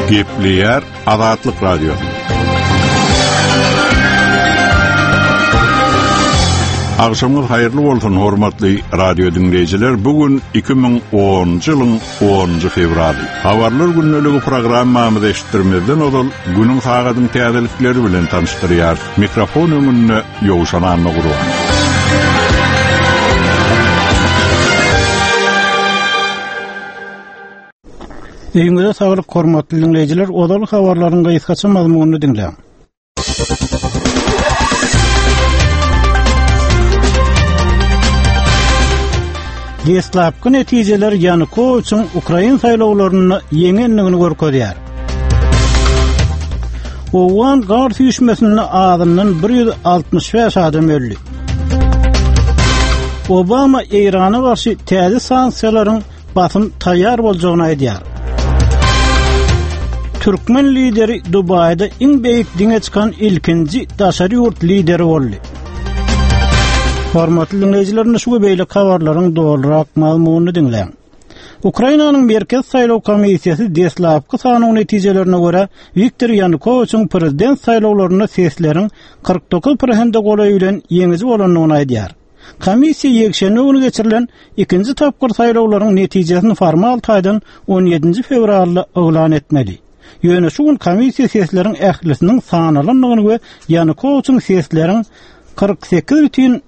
Gepleýär Azatlyk Radiosy. Agşamyňyz haýyrly bolsun, hormatly radio diňleýjiler. Bu gün 2010-njy ýylyň 10-njy fewraly. Habarlar gündeligi programmamyzy eşitdirmezden ozal günüň sagadyň täzelikleri bilen tanyşdyrýarys. Mikrofon öňünde Ýowşan Annagurban. Öýüňize saglyk hormatly diňleýjiler, ozal habarlaryň gysgaça mazmunyny diňläň. Deslapky netijeler Ýanukowiçiň ukrain saýlawlarynda ýeňendigini görkezýär. Owgan gar süýşmesinde azyndan 165 adam öldi. Obama Eýrana garşy täze sanksiýalaryň basym taýýar boljagyny aýdýar. Türkmen lideri Dubaýda iň beýik diňe çykan ilkinji daşary ýurt lideri boldy. Hormatly diňleýjiler, şu we beýleki habarlaryň dolurak mazmunyny diňläň. Ukrainanyň Merkezi saýlaw komissiýasy deslapky sanaw netijelerine görä, Wiktor Ýanukowiçiň prezident saýlawlarynda sesleriň 49 prosente golaýy bilen ýeňiji bolandygyny aýdýar. Komissiýa ýekşenbe güni geçirilen ikinji tapgyr saýlawlaryň netijesini formal taýdan on ýedinji fewralda yglan etmeli. Ýöne şu gün komissiýa sesleriň ählisiniň sanalandygyny we Ýanukowiçiň sesleriň 48 bütin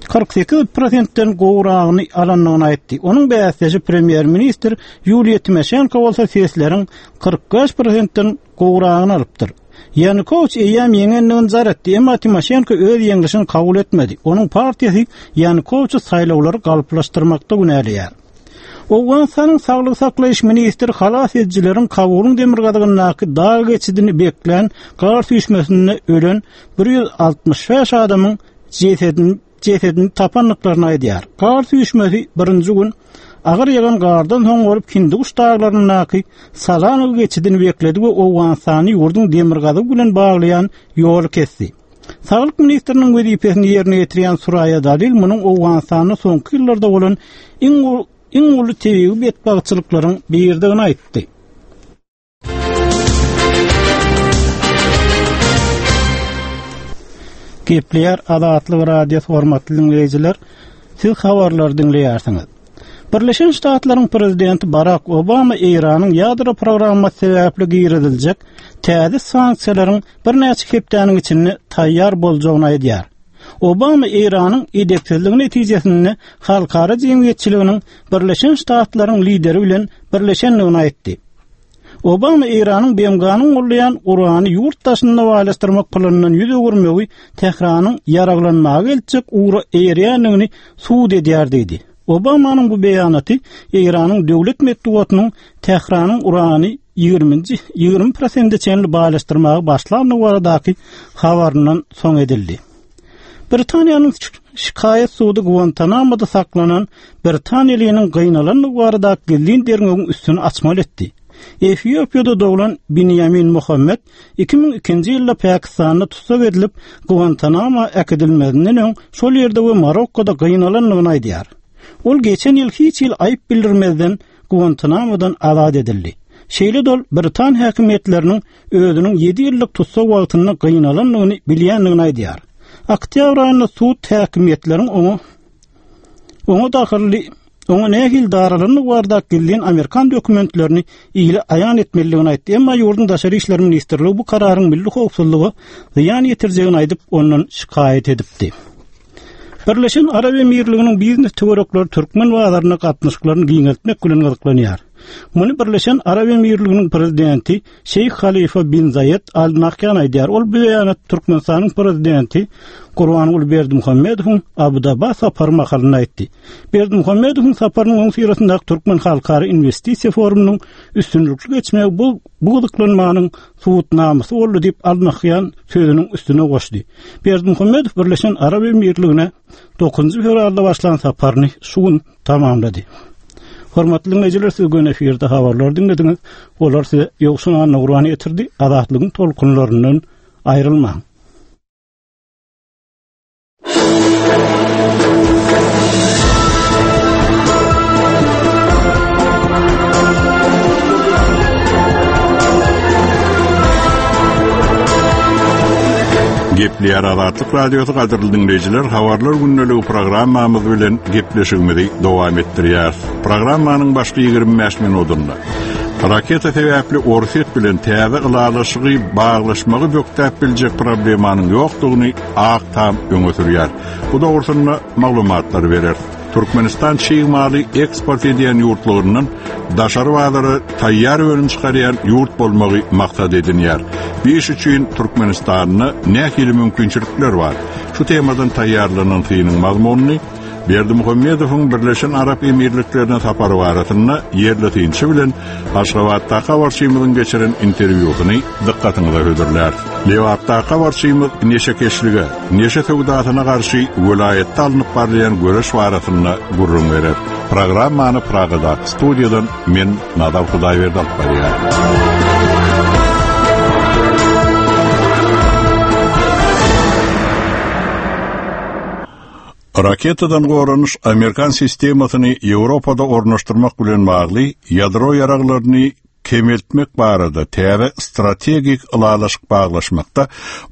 48 prosentden gowragyny alandygyny aýtdy. Onuň bäsdeşi premýer-ministr Ýuliýa Timoşenko bolsa sesleriň 45 prosentden gowragyny alypdyr. Ýanukowiç eýýäm ýeňendigini jar etdi, emma Timoşenko öz ýeňlişini kabul etmedi. Onuň partiýasy Ýanukowiçi saýlawlary galplaşdyrmakda günäleýär. Owganystanyň saglygy saklaýyş ministri halas edijileriň Kabulyň demirgazygyndaky dag geçidini beklän gar süýşmesinde ölen 165 adamyň jesedini jesedini tapandyklaryny aýdýar. Gar süýşmesi birinji gün agyr ýagan gardan soň bolup Hindiguş daglaryndaky Salanow geçidini bekledi we Owganystany ýurduň demirgazygy bilen baglaýan ýoly kesdi. Saglyk ministriniň wezipesini ýerine ýetirýän Suraýa Dalil munuň Owganystanda soňky ýyllarda bolan iň iň uly tebigy betbagtçylyklaryň biridigini aýtdy. Gepleýär Azatlyk Radiosy hormatly diňleýjiler, siz habarlary diňleýärsiňiz. Birleşen Ştatlaryň prezidenti Barak Obama Eýranyň ýadro programmasy sebäpli giriziljek täze sanksiýalaryň birnäçe hepdäniň içinde taýýar boljagyny aýdýar. Obama Eýranyň edepsizligi netijesinde halkara jemgyýetçiliginiň Birleşen Ştatlaryň lideri bilen birleşendigini aýtdy. Obama Eýranyň BMG-niň goldaýan urany ýurt daşynda baýlaşdyrmak planyndan ýüz öwürmegi Tähranyň ýaraglanmaga eltjek ugra eýerýändigini subut edýär diýdi. Obamanyň bu beýanaty Eýranyň döwlet metbugatynyň Tähranyň urany ýigriminji 20 prosente çenli baýlaşdyrmaga başlandygy baradaky habaryndan soň edildi. Britaniýanyň şikaýat sudy Guantanamoda saklanan britaniýalynyň gynalandygy baradaky gizlin derňewiň üstüni açmaly etdi. Efiopiýada doglan Binýamin Muhammed 2002-nji ýylda Pakistanda tussag edilip, Guantanamo äkidilmezinden öň şol ýerde we Marokkoda gynalandygyny aýdýar. Ol geçen ýyl hiç hili aýyp bildirmezden Guantanamodan azat edildi. Şeýle-de ol britan häkimiýetleriniň özüniň ýedi ýyllyk tussag wagtynda gynalandygyny bilýändigini aýdýar. Oktýabr aýynda sud häkimiýetleriň oňa oňa dahylly oňa nähili daralandygy baradaky gizlin amerikan dokumentlerini ile aýan etmelidigini aýtdy. Emma ýurduň Daşary işler ministrligi bu kararyň milli howpsuzlyga zyýan ýetirjegini aýdyp, ondan şikaýat edipdi. Birleşen Arap Emirliginiň biznes töwerekleri türkmen bazaryna gatnaşyklaryny giňeltmek bilen gyzyklanýar. Muny Birleşen Arap Emirliginiň prezidenti Şeýh Halifa bin Zaýed Al Nahýan aýdýar. Ol bu beýanaty Türkmenistanyň prezidenti Gurbanguly Berdimuhamedowyň Abu-Daba sapary mahalynda aýtdy. Berdimuhamedowyň saparynyň öňüsyrasyndaky Türkmen halkara inwestisiýa forumynyň üstünlikli geçmegi bu bu gyzyklanmanyň subutnamasy boldy diýip, Al Nahýan sözüniň üstüne goşdy. Berdimuhamedow Birleşen Arap Emirligine 9 fewralda başlan saparyny şu gün tamamlady. Hormatly diňleýjiler, siz göni efirde habarlary diňlediňiz. Olar size Ýowşan Annagurban ýetirdi. Azatlygyň tolkunlaryndan aýrylmaň. Gepleýär Azatlyk Radiosy gadyrly diňleýjiler, habarlar gündeligi programmamyz bilen gepleşigimizi dowam etdirýäris. Programmanyň başky 25 minutynda raketa sebäpli Orsýet bilen täze ylalaşygy baglaşmagy bökdäp biljek problemanyň ýokdugyny Ak Tam öňe sürýär. Bu dogrusynda maglumatlary bereris. Türkmenistan çig maly eksport edýän ýurtlaryndan daşary bazara taýýar önüm çykarýan ýurt bolmagy maksat edinýär. Bu iş üçin Türkmenistanda nähili mümkinçilikler bar? Şu temadan taýýarlanan synyň mazmunyny Berdimuhamedowyň Birleşen Arap Emirliklerine sapary barasynda ýerli synçy bilen Aşgabatdaky habarçymyzyň geçiren interwýusyny dykgatyňyza hödürläris. Lebapdaky habarçymyz neşekeşlige, neşe söwdasyna garşy welaýatda alnyp barylýan göreş barasynda gürrüň berer. Programmany Pragadaky studiýadan men Nazar Hudaýberdi alyp barýaryn. Raketadan goranyş amerikan sistemasyny Ýewropada ornaşdyrmak bilen bagly ýadro ýaraglaryny kemeltmek barada täze strategik ylalaşyk baglaşmakda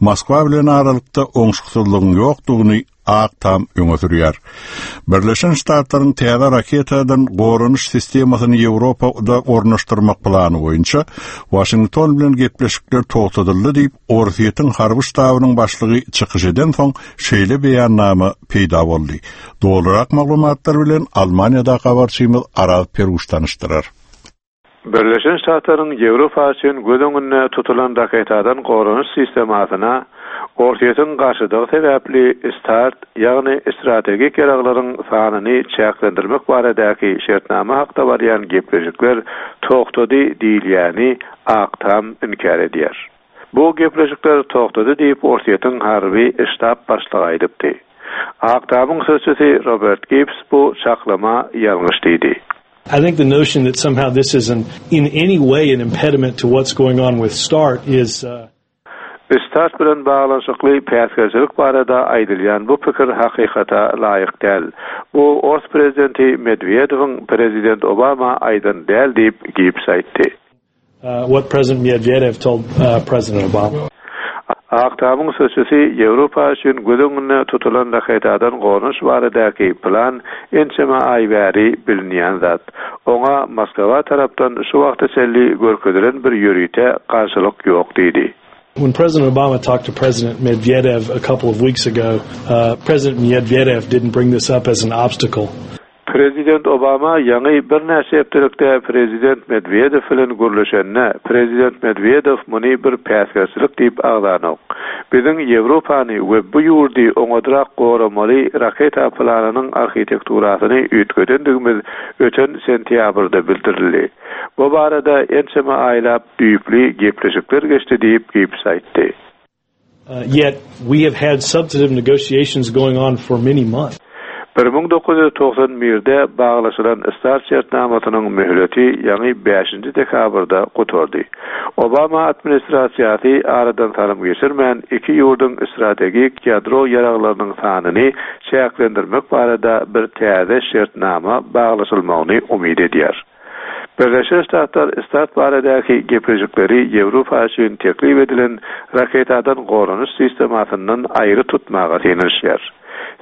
Moskwa bilen aralykda oňşuksyzlygyň ýokdugyny Ak Tam öňe sürýär. Birleşen Ştatlaryň täze raketadan goranyş sistemasyny Ýewropada ornaşdyrmak plany boýunça Waşington bilen gepleşikler togtadyldy diýip, Orsýetiň harby ştabynyň başlygy çykyş edensoň, şeýle beýannama peýda boldy. Dolurak maglumatlar bilen Almaniýadaky habarçymyz Araz Peruş tanyşdyrar. Birleşen Ştatlaryň Ýewropa üçin göz öňünde tutulan raketadan goranyş sistemasyna Orsýetiň garşydygy sebäpli START, ýagny strategik ýaraglaryň sanyny çäklendirmek baradaky şertnama hakda barýan gepleşikler togtady diýilýäni Ak Tam inkär edýär. Bu gepleşikler togtady diýip, Orsýetiň harby ştab başlygy aýdypdy. Ak Tamyň sözçüsi Robert Gibbs bu çaklama ýalňyş diýdi. I think the notion that somehow this is an in any way an impediment to what's going on with START is START bilen baglanyşykly päsgelçilik barada aýdylýan bu pikir hakykata laýyk däl. Bu ors prezidenti Medwedewiň prezident Obama aýdan däl diýip, Gibbs aýtdy. What President Medvedev told President Obama. Ak Tamyň sözçüsi Ýewropa üçin göz öňünde tutulan raketadan goranyş baradaky plan ençeme aý bäri bilinýän zat. Oňa Moskwa tarapdan şu wagta çenli görkezilen bir ýörite garşylyk ýok diýdi. When President Obama talked to President Medvedev a couple of weeks ago, President Medvedev didn't bring this up as an obstacle. Prezident Obama ýaňy birnäçe hepdelikde prezident Medwedew bilen gürleşende, prezident Medwedew muny bir päsgelçilik diýip agzanok. Biziň Ýewropany we bu ýurdy oňadrak goramaly raketa planynyň arhitekturasyny üýtgedendigimiz öten sentýabrda bildirildi. Bu barada ençeme aýlap düýpli gepleşikler geçdi diýip, Gibbs aýtdy. Yet we have had substantive negotiations going on for many months. 1991-de baglaşylan START şertnamasynyň möhleti ýaňy bäşinji dekabrda gutardy. Obama administrasiýasy aradan salym geçirmän, iki ýurduň strategik ýadro ýaraglarynyň sanyny çäklendirmek barada bir täze şertnama baglaşylmagyny umyt edýär. Birleşen Ştatlar START baradaky gepleşikleri Ýewropa üçin teklip edilen raketadan goranyş sistemasyndan aýry tutmaga synanyşýar.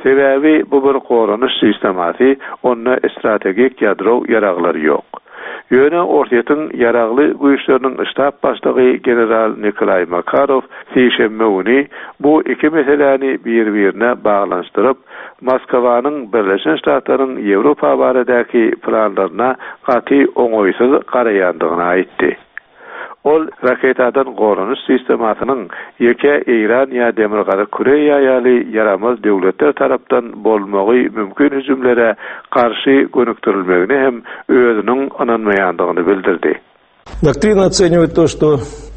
Sebäbi bu bir goranyş sistemasy, onda strategik ýadro ýaraglary ýok. Ýöne Orsýetiň Ýaragly güýçleriniň ştab başlygy general Nikolaý Makarow sişenbe güni bu iki meseläni bir-birine baglanyşdyryp, Moskwanyň Birleşen Ştatlaryň Ýewropa baradaky planlaryna gaty oňaýsyz garaýandygyny aýtdy. Ol raketadan goranyş sistemasynyň ýeke Eýran ýa Demirgazyk Koreýa ýaly ýaramaz döwletler tarapdan bolmagy mümkin hüjümlere garşy gönükdirilmegine hem özüniň ynanmaýandygyny bildirdi. Doktrina otseniwet to, što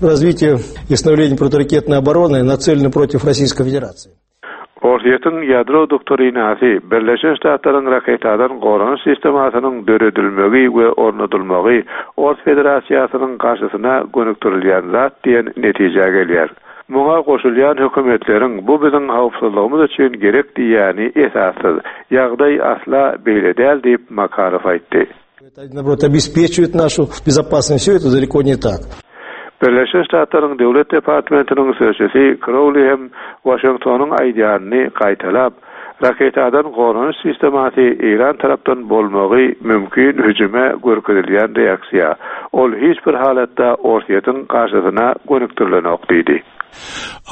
razwitiýe i stanowleniýe protiwraketnoý oborony naceleno protiw Rossiýskoý Federasiýi. Orsýetiň ýadro doktrinasy, Birleşen Ştatlaryň raketadan goranyş sistemasynyň döredilmegi we ornadylmagy Ors Federasiýasynyň garşysyna gönükdirilýän zat diýen netijä gelýär. Muňa goşulýan hökümetleriň bu biziň howpsuzlygymyz üçin gerek diýýäni esassyz. Ýagdaý asla beýle däl diýip, Makarow aýtdy. Birleşen Ştatlaryň Döwlet departamentiniň sözçüsi Krowli hem Waşingtonyň aýdýanyny gaýtalap, Raketadan goranyş sistemasy Eýran tarapdan bolmagy mümkin hüjüme görkezilýän reaksiýa. Ol hiç bir halatda Orsýetiň garşysyna gönükdirilenok diýdi.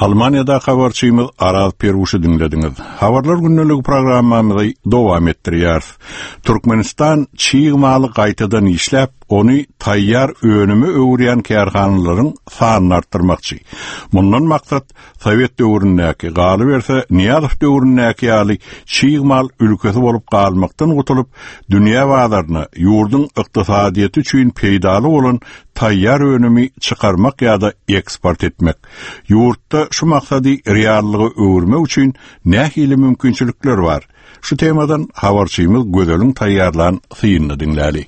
Almaniýadaky habarçymyz Araz Peruşy diňlediňiz. Habarlar gündeligi programmamyzy dowam etdirýäris. Türkmenistan çig maly gaýtadan işläp, ony taýýar önüme öwürýän kärhanalaryň sanyny artdyrmakçy. Mundan maksat, sowet döwründäki, galyberse, Nyýazow döwründäki ýaly çig mal ülkesi bolup galmakdan gutulyp, dünýä bazaryna ýurduň ykdysadyýeti üçin peýdaly bolan taýýar önümi çykarmak ýa-da eksport etmek. Ýurtda şu maksady reallyga öwürmek üçin nähili mümkinçilikler bar? Şu temadan habarçymyz Gözeliň taýýarlan synyny diňläli.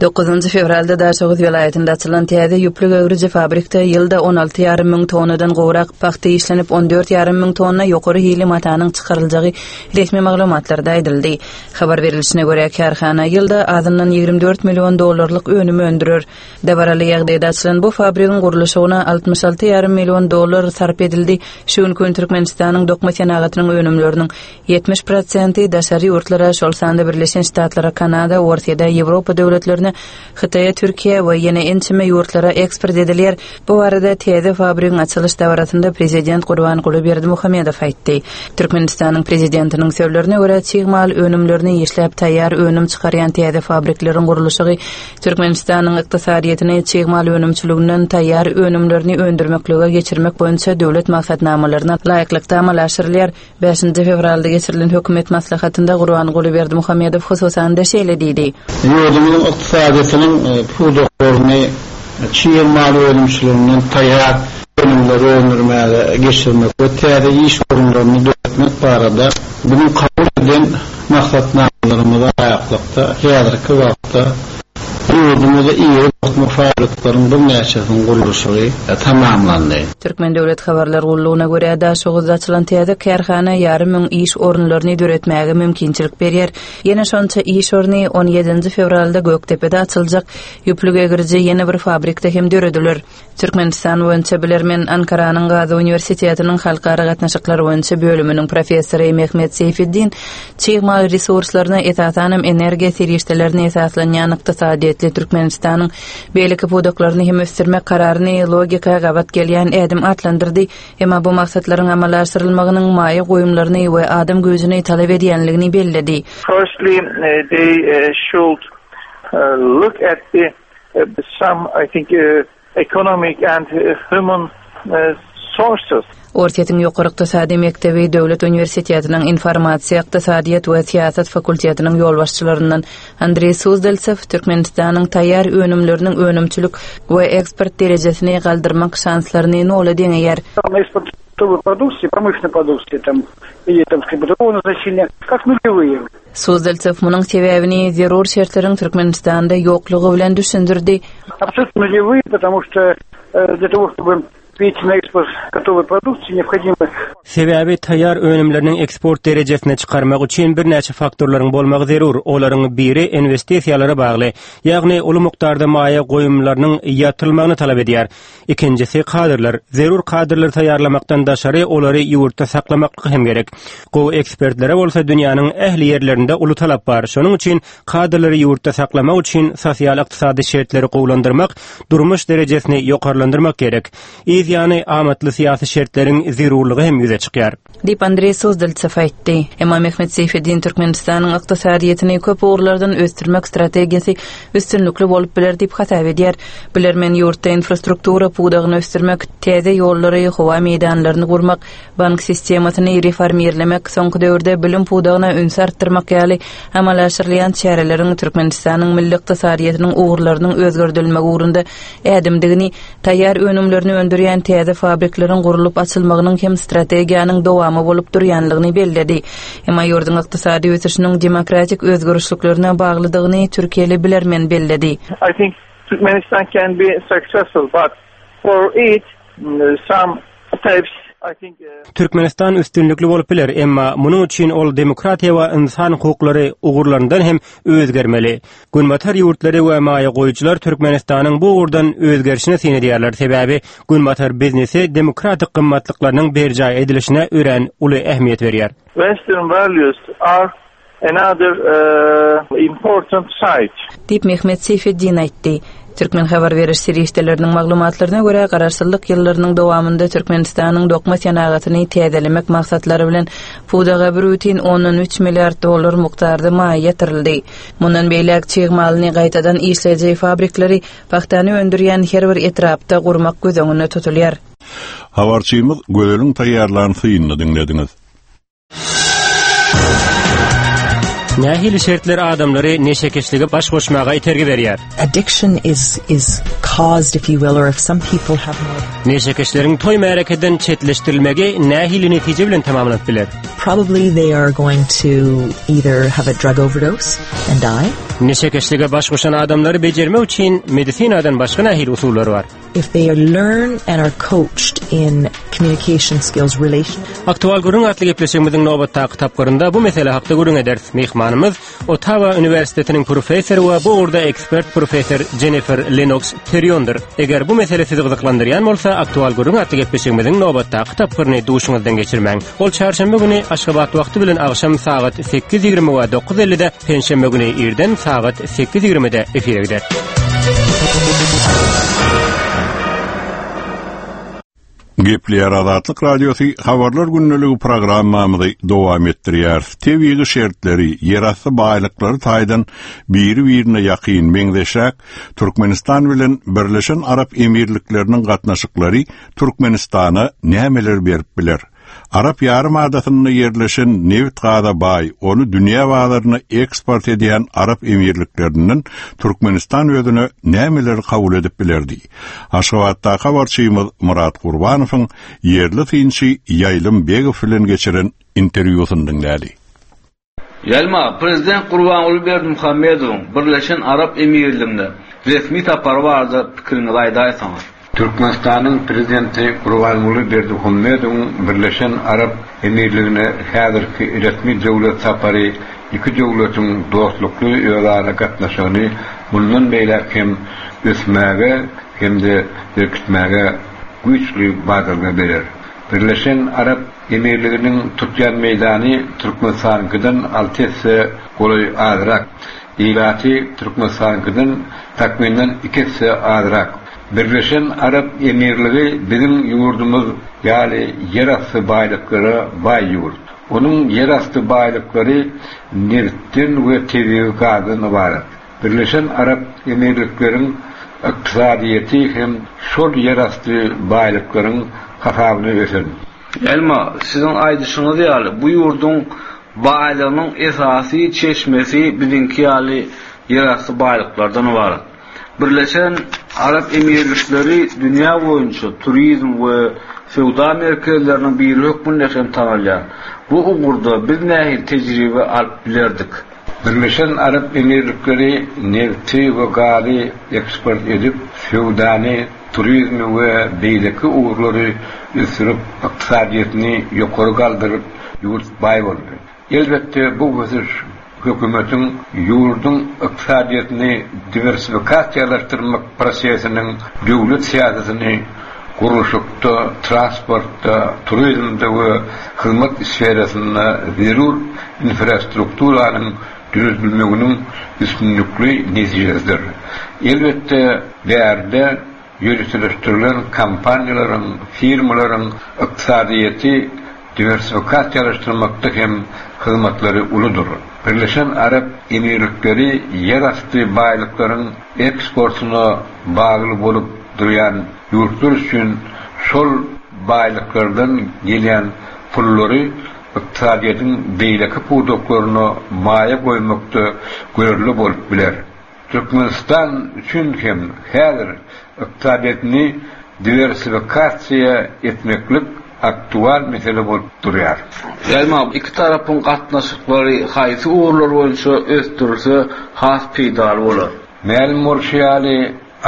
Dokuzynjy fewralda Daşoguz welaýatynda açylan täze ýüplük öwrüji fabrikde ýylda on alty ýarym müň tonnadan gowrak pagta işlenip, on dört ýarym müň tonna ýokary hilli matanyň çykaryljagy resmi maglumatlarda aýdyldy. Habar berlişine görä, kärhana ýylda azyndan 24 million dollarlyk önüm öndürer. Dabaraly ýagdaýda açylan bu fabrigiň gurluşygyna 66 ýarym million dollar sarp edildi. Şu günki gün Türkmenistanyň dokma senagatynyň önümleriniň 70 prosenti daşary ýurtlara, şol sanda Birleşen Ştatlara, Kanada, Orsýede, Ýewropa döwletlerine, Hytaýa, Türkiýä we ýene ençeme ýurtlara eksport edilýär. Bu barada täze fabrigiň açylyş dabarasynda prezident Gurbanguly Berdimuhamedow aýtdy. Türkmenistanyň prezidentiniň sözlerine görä, çig mal önümlerini işläp taýýar önüm çykarýan täze fabrikleriň gurluşygy Türkmenistanyň ykdysadyýetini çig mal önümçiliginden taýýar önümlerini öndürmeklige geçirmek boýunça döwlet maksatnamalaryna laýyklykda amala aşyrylýar. Bäşinji fewralda geçirilen hökümet maslahatynda Gurbanguly Berdimuhamedow hususan-da şeýle diýdi. Ýurdumyzyň ykdysadyýetiniň pudaklaryny çig mal önümçiliginden taýýar önümleri öndürmäge geçirmek we täze iş orunlaryny döretmek barada biziň kabul eden maksatnamalarymyza laýyklykda häzirki wagtda Ýurdumyzda iri dokma fabrikleriň birnäçesiniň gurluşygy tamamlandy. Türkmen döwlet habarlar gullugyna görä, Daşoguzda açylan täze kärhana ýarym müň iş orunlaryny döretmäge mümkinçilik berýär. Ýene şonça iş orny on ýedinji fewralda Gökdepede açyljak ýüplük egiriji ýene bir fabrikde hem dörediler. Türkmenistan boýunça bilermen, Ankaranyň Gazy uniwersitetiniň halkara gatnaşyklar boýunça bölüminiň professory Mehmet Seýfiddin çig mal resurslaryna, esasanam energiýa serişdelerine esaslanýan ykdysadyýetli Türkmenistanyň beýleki pudaklaryny hem ösdürmek kararyny logika gabat gelýän ädim atlandyrdy, emma bu maksatlaryň amala aşyrylmagynyň maýa goýumlaryny we adam güýjüni talap edýänligini belledi. Firstly, they should look at the some, I think, economic and human sources. Orsýetiň Ýokary ykdysady mekdebi Döwlet uniwersitetiniň informasiýa, ykdysadyýet we syýasat fakultetiniň ýolbaşçylaryndan Andreý Suzdaltsew Türkmenistanyň taýýar önümleriniň önümçilik we eksport derejesini galdyrmak şanslaryny nola deňeýär. Suzdaltsew munuň sebäbini zerur şertleriň Türkmenistanda ýoklugy bilen düşündirdi. Sebäbi taýýar önümleriniň eksport derejesine çykarmak üçin birnäçe faktorlaryň bolmagy zerur. Olaryň biri inwestisiýalara bagly, ýagny uly mukdarda maýa goýumlarynyň ýatyrylmagyny talap edýär. Ikinjisi, kadrlar. Zerur kadrlary taýýarlamakdan daşary, olary ýurtda saklamaklyk hem gerek. Gowy ekspertlere bolsa dünýäniň ähli ýerlerinde uly talap bar. Şonuň üçin kadrlary ýurtda saklamak üçin sosial-ykdysady şertleri gowulandyrmak, durmuş derejesini ýokarlandyrmak gerek. Yz ýany, amatly syýasy şertleriň zerurlygy hem ýüze çykýar. Diýip, Andreý Suzdaltsew aýtdy. Emma Mehmet Seýfeddin Türkmenistanyň ykdysadyýetini köp ugurlardan ösdürmek strategiýasy üstünlikli bolup biler diýip hasap edýär. Bilermen ýurtda infrastruktura pudagyny ösdürmek, täze ýollary, howa meýdanlaryny gurmak, bank sistemasyny reformirlemek, soňky döwürde bilim pudagyna ünsi artdyrmak ýaly amala aşyrylýan çäreleriň Türkmenistanyň milli ykdysadyýetiniň ugurlarynyň özgerdilmegi ugrunda ädimdigini Taýýar önümlerini öndürýän täze fabrikleriň gurlup açylmagynyň hem strategiýanyň dowamy bolup durýanlygyny belledi. Emma ýurduň ykdysady ösüşiniň demokratik özgerişliklerine baglydygyny türkiýeli bilermen belledi. I think Turkmenistan can be successful, but for it some steps. Türkmenistan üstünlikli bolup biler, emma munuň üçin ol demokratiýa we ynsan hukuklary ugurlaryndan hem özgermeli. Günbatar ýurtlary we maýa goýujylar Türkmenistanyň bu ugurdan özgerişine syn edýärler, sebäbi Günbatar biznesi demokratik gymmatlyklarynyň berjaý edilişine örän uly ähmiýet berýär. Western values are Another important site. Diýip, Mehmet Seýfeddin aýtdy. Türkmen habar beriş serişdeleriniň maglumatlaryna görä, garaşsyzlyk ýyllarynyň dowamynda Türkmenistanyň dokma senagatyny täzelemek maksatlary bilen pudaga bir bütin ondan üç milliard dollar mukdarda maýa ýatyryldy. Mundan beýläk çig malyny gaýtadan işleýji fabrikleri pagtany öndürýän her bir etrapda gurmak göz öňünde tutulýar. Habarçymyz Gözeliň taýýarlan synyny diňlediňiz. Nähili şertler adamlary neşekeşlige baş goşmaga itergi berýär? Addiction is is caused if you will or if some people have more Neşekeşleriň toý märekeden çetleşdirilmegi nähili netije bilen tamamlanyp biler? Probably they are going to either have a drug overdose and die. Neşekeşlige baş goşan adamlary bejermek üçin medisinadan başga nähili usullar bar? If they learn and are coached in communication skills, relation. Aktual gürrüň atly gepleşigimiziň nobatdaky tapgyrynda bu mesele hakda gürrüň ederis. Myhmanymyz Ottawa uniwersitetiniň professory we bu ugurda ekspert professor Jennifer Lenoks Teriondyr. Eger bu mesele sizi gyzyklandyrýan bolsa, Aktual gürrüň atly gepleşigimiziň nobatdaky tapgyryny duşuňyzdan geçirmäň. Ol çarşenbe güni Aşgabat wagty bilen agşam sagat 8:20 we 9:50-de, penşenbe güni irden sagat 8:20-de efire gider. Gepleýär Azatlyk Radiosy Habarlar gündeligi programmamyzy dowam etdirýäris. Tebigy şertleri, ýerasty baýlyklary taýdan biri-birine ýakyn, meňzeşräk Türkmenistan bilen Birleşen Arap Emirlikleriniň gatnaşyklary Türkmenistana nämeler berip biler? Arap ýarym adasynda ýerleşen nebit-gaza baý, ony dünýä bazaryna eksport edýän Arap Emirliklerinden Türkmenistan özüne nämeleri kabul edip bilerdi? Aşgabatdaky habarçymyz Myrat Gurbanowyň ýerli synçy Ýaýlym Begow bilen geçiren interwýusyny diňläli. Ýaýlma, Prezident Gurbanguly Berdimuhamedowyň Birleşen Arap Emirligine resmi sapary barada pikiriňizi aýdaýsaňyz? Türkmenistanyň Prezidenti Gurbanguly Berdimuhamedowyň Birleşen Arap Emirligine häzirki resmi döwlet sapary iki döwletiň dostlukly özara gatnaşygyny mundan beýläk hem ösmäge hem-de berkitmäge güýçli badalga berer. Birleşen Arap Emirliginiň tutýan meýdany Türkmenistanyňkydan alty esse golaý azrak. Ilaty Türkmenistanyňkydan takmyndan iki esse azrak. Birleşen Arap Emirligi biziň ýurdumyz ýaly ýerasty baýlyklara baý ýurt. Onuň ýerasty baýlyklary nebitden we tebigy gazdan ybarat. Birleşen Arap Emirlikleriň ykdysadyýeti hem şol ýerasty baýlyklaryň hasabyna ösen. Elma, siziň aýdyşyňyz ýaly, bu ýurduň baýlygynyň esasy çeşmesi biziňki ýaly ýerasty baýlyklardan ybarat. Birleşen Arap Emirlikleri dünýä boýunça turizm we söwda merkezleriniň biri hökmünde hem tanalýar. Bu ugurda biz nähili tejribe alyp bilerdik? Birleşen Arap Emirlikleri nebti we gazy eksport edip, söwdany, turizmi we beýleki ugurlary ösdürip, ykdysadyýetini ýokary galdyryp, ýurt baý boldy. Elbetde, bu ösüş hökümetiň ýurduň ykdysadyýetini diwersifikasiýalaşdyrmak prosesiniň döwlet syýasatyny gurluşykda, transportda, turizmde we hyzmat sferasynda zerur infrastrukturanyň döredilmeginiň üstünlikli netijesidir. Elbetde, bärde ýöriteleşdirilen kompaniýalaryň, firmalaryň ykdysadyýeti diwersifikasiýalaşdyrmakda hem hyzmatlary uludyr. Birleşen Arap Emirlikleri ýerasty baýlyklaryň eksportyna bagly bolup durýan ýurtlar üçin şol baýlyklardan gelýän pullary ykdysadyýetiň beýleki pudaklaryna maýa goýmakda görelde bolup biler. Türkmenistan üçin hem häzir ykdysadyýetini diwersifikasiýa etmeklik aktual mesele bolup durýar. Emma iki tarapyň gatnaşyklary haýsy ugurlar boýunça ösdürilse has peýdaly bolar? Mälim bolşy ýaly,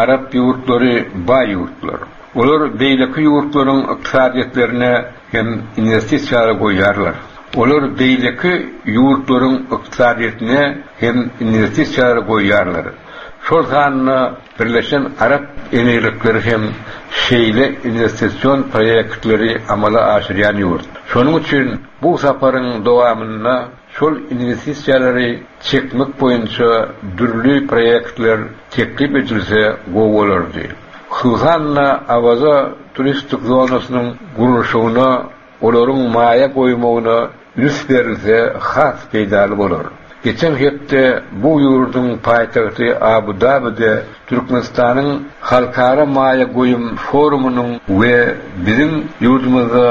arap ýurtlary baý ýurtlar. Olar beýleki ýurtlaryň ykdysadyýetlerine hem inwestisiýalar goýýarlar. Olar beýleki ýurtlaryň ykdysadyýetine hem inwestisiýalar goýýarlar. Şol sanda Birleşen Arap Emirlikleri hem şeýle inwestision proýektleri amala aşyrýan ýurt. Şonuň üçin bu saparyň dowamynda şol inwestisiýalary çekmek boýunça dürli proýektler teklip edilse gowy bolardy. Hususan-da, Awaza turistik zonasynyň gurluşygyna olaryň maýa goýmagyna üns berilse has peýdaly bolar. Geçen hepde bu ýurduň paýtagty Abu-Dabide Türkmenistanyň Halkara maýa goýum forumynyň we biziň ýurdumyzda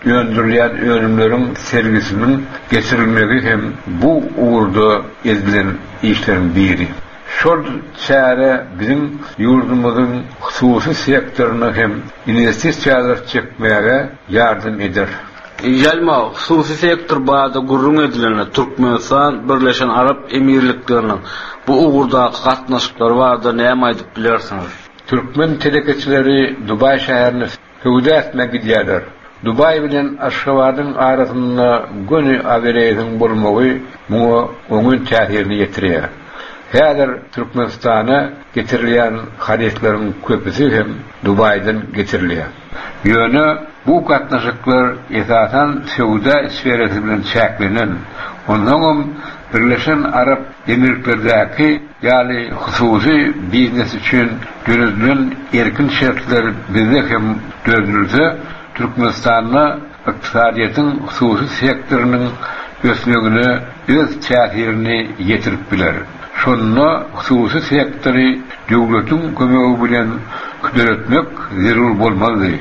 öndürilýän önümleriň sergisiniň geçirilmegi hem bu ugurda edilen işleriň biri. Şol çäre biziň ýurdumyzyň hususy sektoryna hem inwestisiýalar çekmäge ýardam eder. Ýalma, hususy sektor barada gürrüň edilende, Türkmenistan Birleşen Arap Emirlikleriniň bu ugurdaky gatnaşyklary barada näme aýdyp bilersiňiz? Türkmen telekeçileri Dubaý şäherine Söwda etmä gidýärler. Dubaý bilen Aşgabadyň arasynda göni awiareýsiň bolmagy muňa oňyn täsirini ýetirýär. Häzir Türkmenistana getirilýän harytlaryň köpüsi hem Dubaýdan getirilýär. Ýöne bu gatnaşyklar esasan söwda sferasy bilen çäklenen. Onsoňam Birleşen Arap Emirliklerdäki ýaly hususy biznes üçin döredilen erkin şertler bizde hem döredilse, Türkmenistanda ykdysadyýetiň hususy sektorynyň ösmegine öz täsirini ýetirip biler. Şonda hususy sektory döwletiň kömegi bilen döretmek zerur bolmazdy.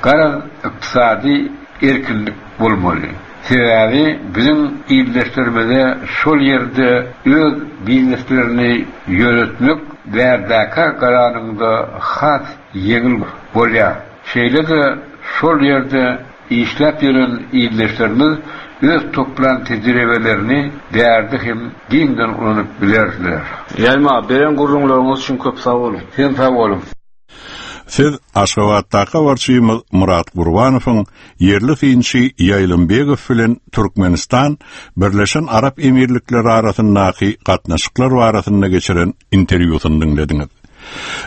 Garaz, ykdysady erkinlik bolmaly. Sebäbi biziň ildeşlerimize şol ýerde öz bizneslerini ýöretmek bärdäkä garanyňda has ýeňil bolýar. Şeýle-de şol ýerde işläp ýören ildeşlerimiz öz toplan tejribelerini bärde hem giňden ulanyp bilerdiler. Ýaýma, beren gürrüňleriňiz üçin köp sag boluň. Sizem sag boluň. Siz Aşgabatdaky habarçymyz Myrat Gurbanowyň ýerli synçy Ýaýlym Begow bilen Türkmenistan, Birleşen Arap Emirlikleri arasyndaky gatnaşyklar barasynda geçiren interwýusyny diňlediňiz.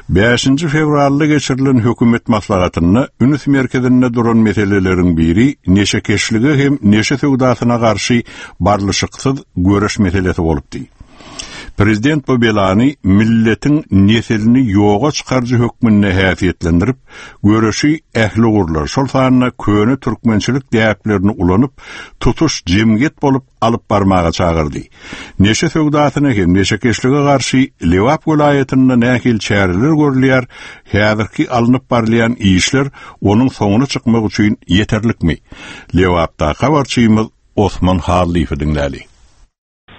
Bäşinji fewralda geçirilen hökümet maslahatynda üns merkezinde duran meseleleriň biri neşekeşlige hem neşe söwdasyna garşy barlyşyksyz göreş meselesi bolupdy. Prezident bu belany milletiň neslini ýoga çykaryjy hökmünde häsiýetlendirip, göreşi ähli ugurlar, şol sanda köne türkmençilik däplerini ulanyp, tutuş jemgyýet bolup alyp barmaga çagyrdy. Neşe söwdasyna hem neşekeşlige garşy Lebap welaýatynda nähili çäreler görülýär, häzirki alnyp barylýan işler onuň soňuna çykmak üçin ýeterlikmi? Lebapdaky habarçymyz Osman Hallyýewi diňläli.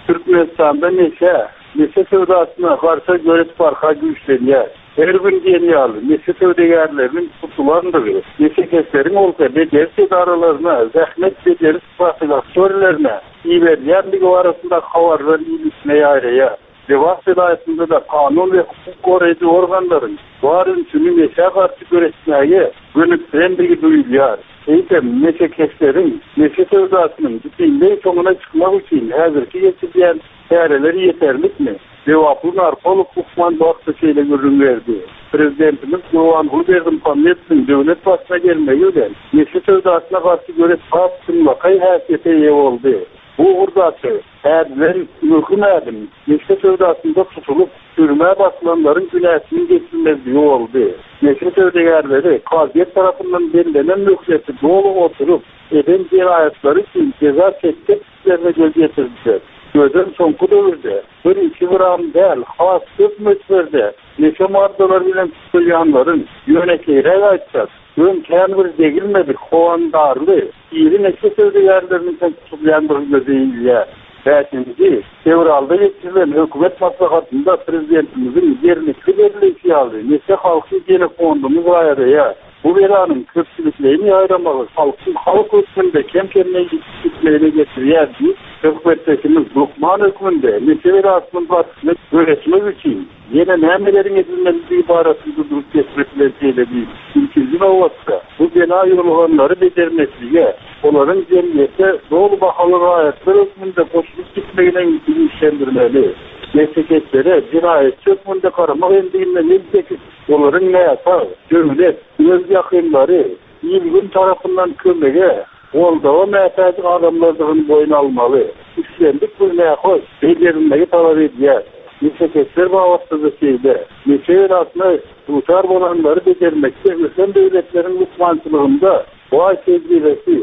Türkmenistanda neşä, neşe söwdasyna garşy göreş barha güýçlenýär. Her gün diýen ýaly neşe söwdagärleriniň tutulandygy, neşekeşleriň bolsa bejeriş edaralaryna, zähmet bejeriş profilaktorilerine iberilýändigi barasyndaky habarlar il içine ýaýraýar. Lebap welaýatynda-da kanun we hukuk goraýjy organlaryň bar ünsüni neşä garşy göreşmäge gönükdirendigi duýulýar. Eýsem, neşekeşleriň neşe söwdasynyň bütinleý soňuna çykmak üçin häzirki geçirilýän çäreler ýeterlikmi? Lebaply narkolog lukman bu hakda şeýle gürrüň berdi, Prezidentimiz Gurbanguly Berdimuhamedowyň döwlet başyna gelmegi bilen, neşe söwdasyna garşy göreş has çynlakaý häsiýete eýe boldy. Bu ugurdaky ädilen möhüm ädim, neşe söwdasynda tutulyp, türmä basylanlaryň günäsiniň geçilmezligi boldy. Neşe söwdagärleri kazyýet tarapyndan bellenen möhleti doly oturyp, eden jenaýatlary üçin jeza çekjekdiklerine göz ýetirdiler. Özem soňky döwürde bir-iki gram däl, has köp möçberde neşe maddalary bilen tutulýanlaryň, ýönekeýräk aýtsak, öň kän bir degilmedik howandarly, Iri neşe söwdagärleriniň hem tutulýandygy göze ilýär. Bäşinji fewralda geçirilen hökümet maslahatynda prezidentimiziň ýerlikli belleýşi ýaly, neşe halkyň genofonduny zaýalaýar. Bu belanyň köpçülikleýin ýaýramagy halkyň halk hökmünde kem-kemden ýitip gitmegine getirýär diýip, söhbetdeşimiz lukman hökmünde neşe belasynyň garşysyna göreşmek üçin ýene nämeleriň edilmelidigi barasynda durup geçmek bilen şeýle diýdi, Ilkinji nobatda, bu bela ýoluganlary bejermeklige, olaryň jemgyýete doly bahaly raýatlar hökmünde goşulyp gitmegine ünsi güýçlendirmeli. Neşekeşlere jenaýatçy hökmünde garamak endiginden el çekip, Olaryň näsag, döwlet, öz ýakynlary, il-gün tarapyndan kömege, goldawa mätäç adamlardygyny boýun almaly. Islendik bir nähoş bejerilmegi talap edýär. Neşekeşler babatda-da şeýle. Neşe belasyna duçar bolanlary bejermekde ösen döwletleriň lukmançylygynda baý tejribesi,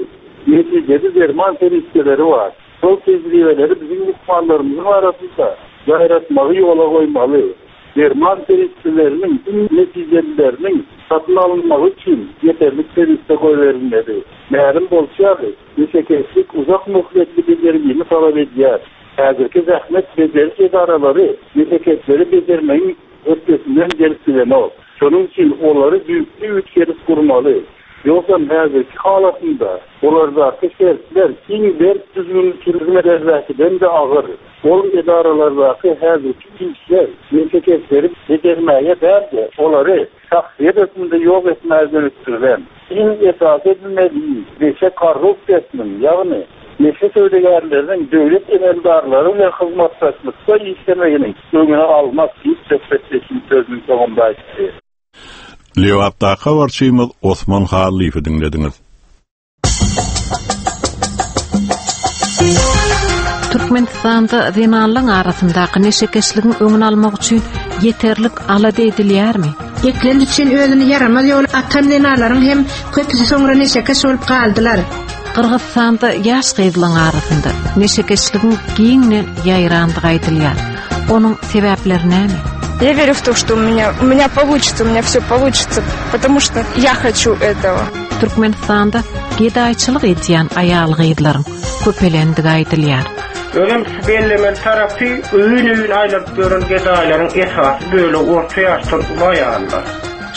netijeli derman serişdeleri bar. Şol tejribeleri biziň lukmanlarymyzyň arasynda ýaýratmagy ýola goýmaly. Derman serişdeleriniň iň netijelileriniň satyn alynmagy üçin ýeterlik serişde goýberilmeli. Mälim bolşy ýaly, neşekeşlik uzak möhletli bejergini talap edýär. Häzirki zähmet bejeriş edaralary neşekeşleri bejermegiň hötdesinden gelip bilenok. Şonuň üçin olary düýpli üýtgedip gurmaly. Ýogsam häzirki halatynda olardaky şertler iň berk düzgünli türmelerdäkiden-de agyr. Ol edaralardaky häzirki işler neşekeşleri bejermäge däl-de, olary şahsyýet hökmünde ýok etmäge gönükdirilen. Iň esasy edilmeli iş, neşe korrupsiýasynyň, ýagny neşe söwdagärleriniň döwlet emeldarlary bilen hyzmatdaşlykda işlemeginiň öňüni almak diýip, söhbetdeşim sözüniň soňunda aýtdy. Lebapdaky habarçymyz Osman Hallyýewi diňlediňiz. Türkmenistanda zenanlaryň arasyndaky neşekeşligiň öňüni almak üçin ýeterlik alada edilýärmi? Eklenç üçin özüni ýaramaz ýola atan zenanlaryň hem köpüsi soňra neşekeş bolup galdylar. Gyrgyzystanda ýaş gyzlaryň arasynda neşekeşligiň giňden ýaýrandygy aýdylýar. Onuň sebäpleri näme? Я верю в то, что у меня, у меня получится, у меня все получится, потому что я хочу этого. Türkmenistanda gedaýçylyk edýän aýal-gyzlaryň köpelendigi aýdylýar. Özem şu bellemeli tarapy, öýün-öýün aýlanyp ýören gedaýlaryň esasy bölegi orta ýaşdan uly aýallar.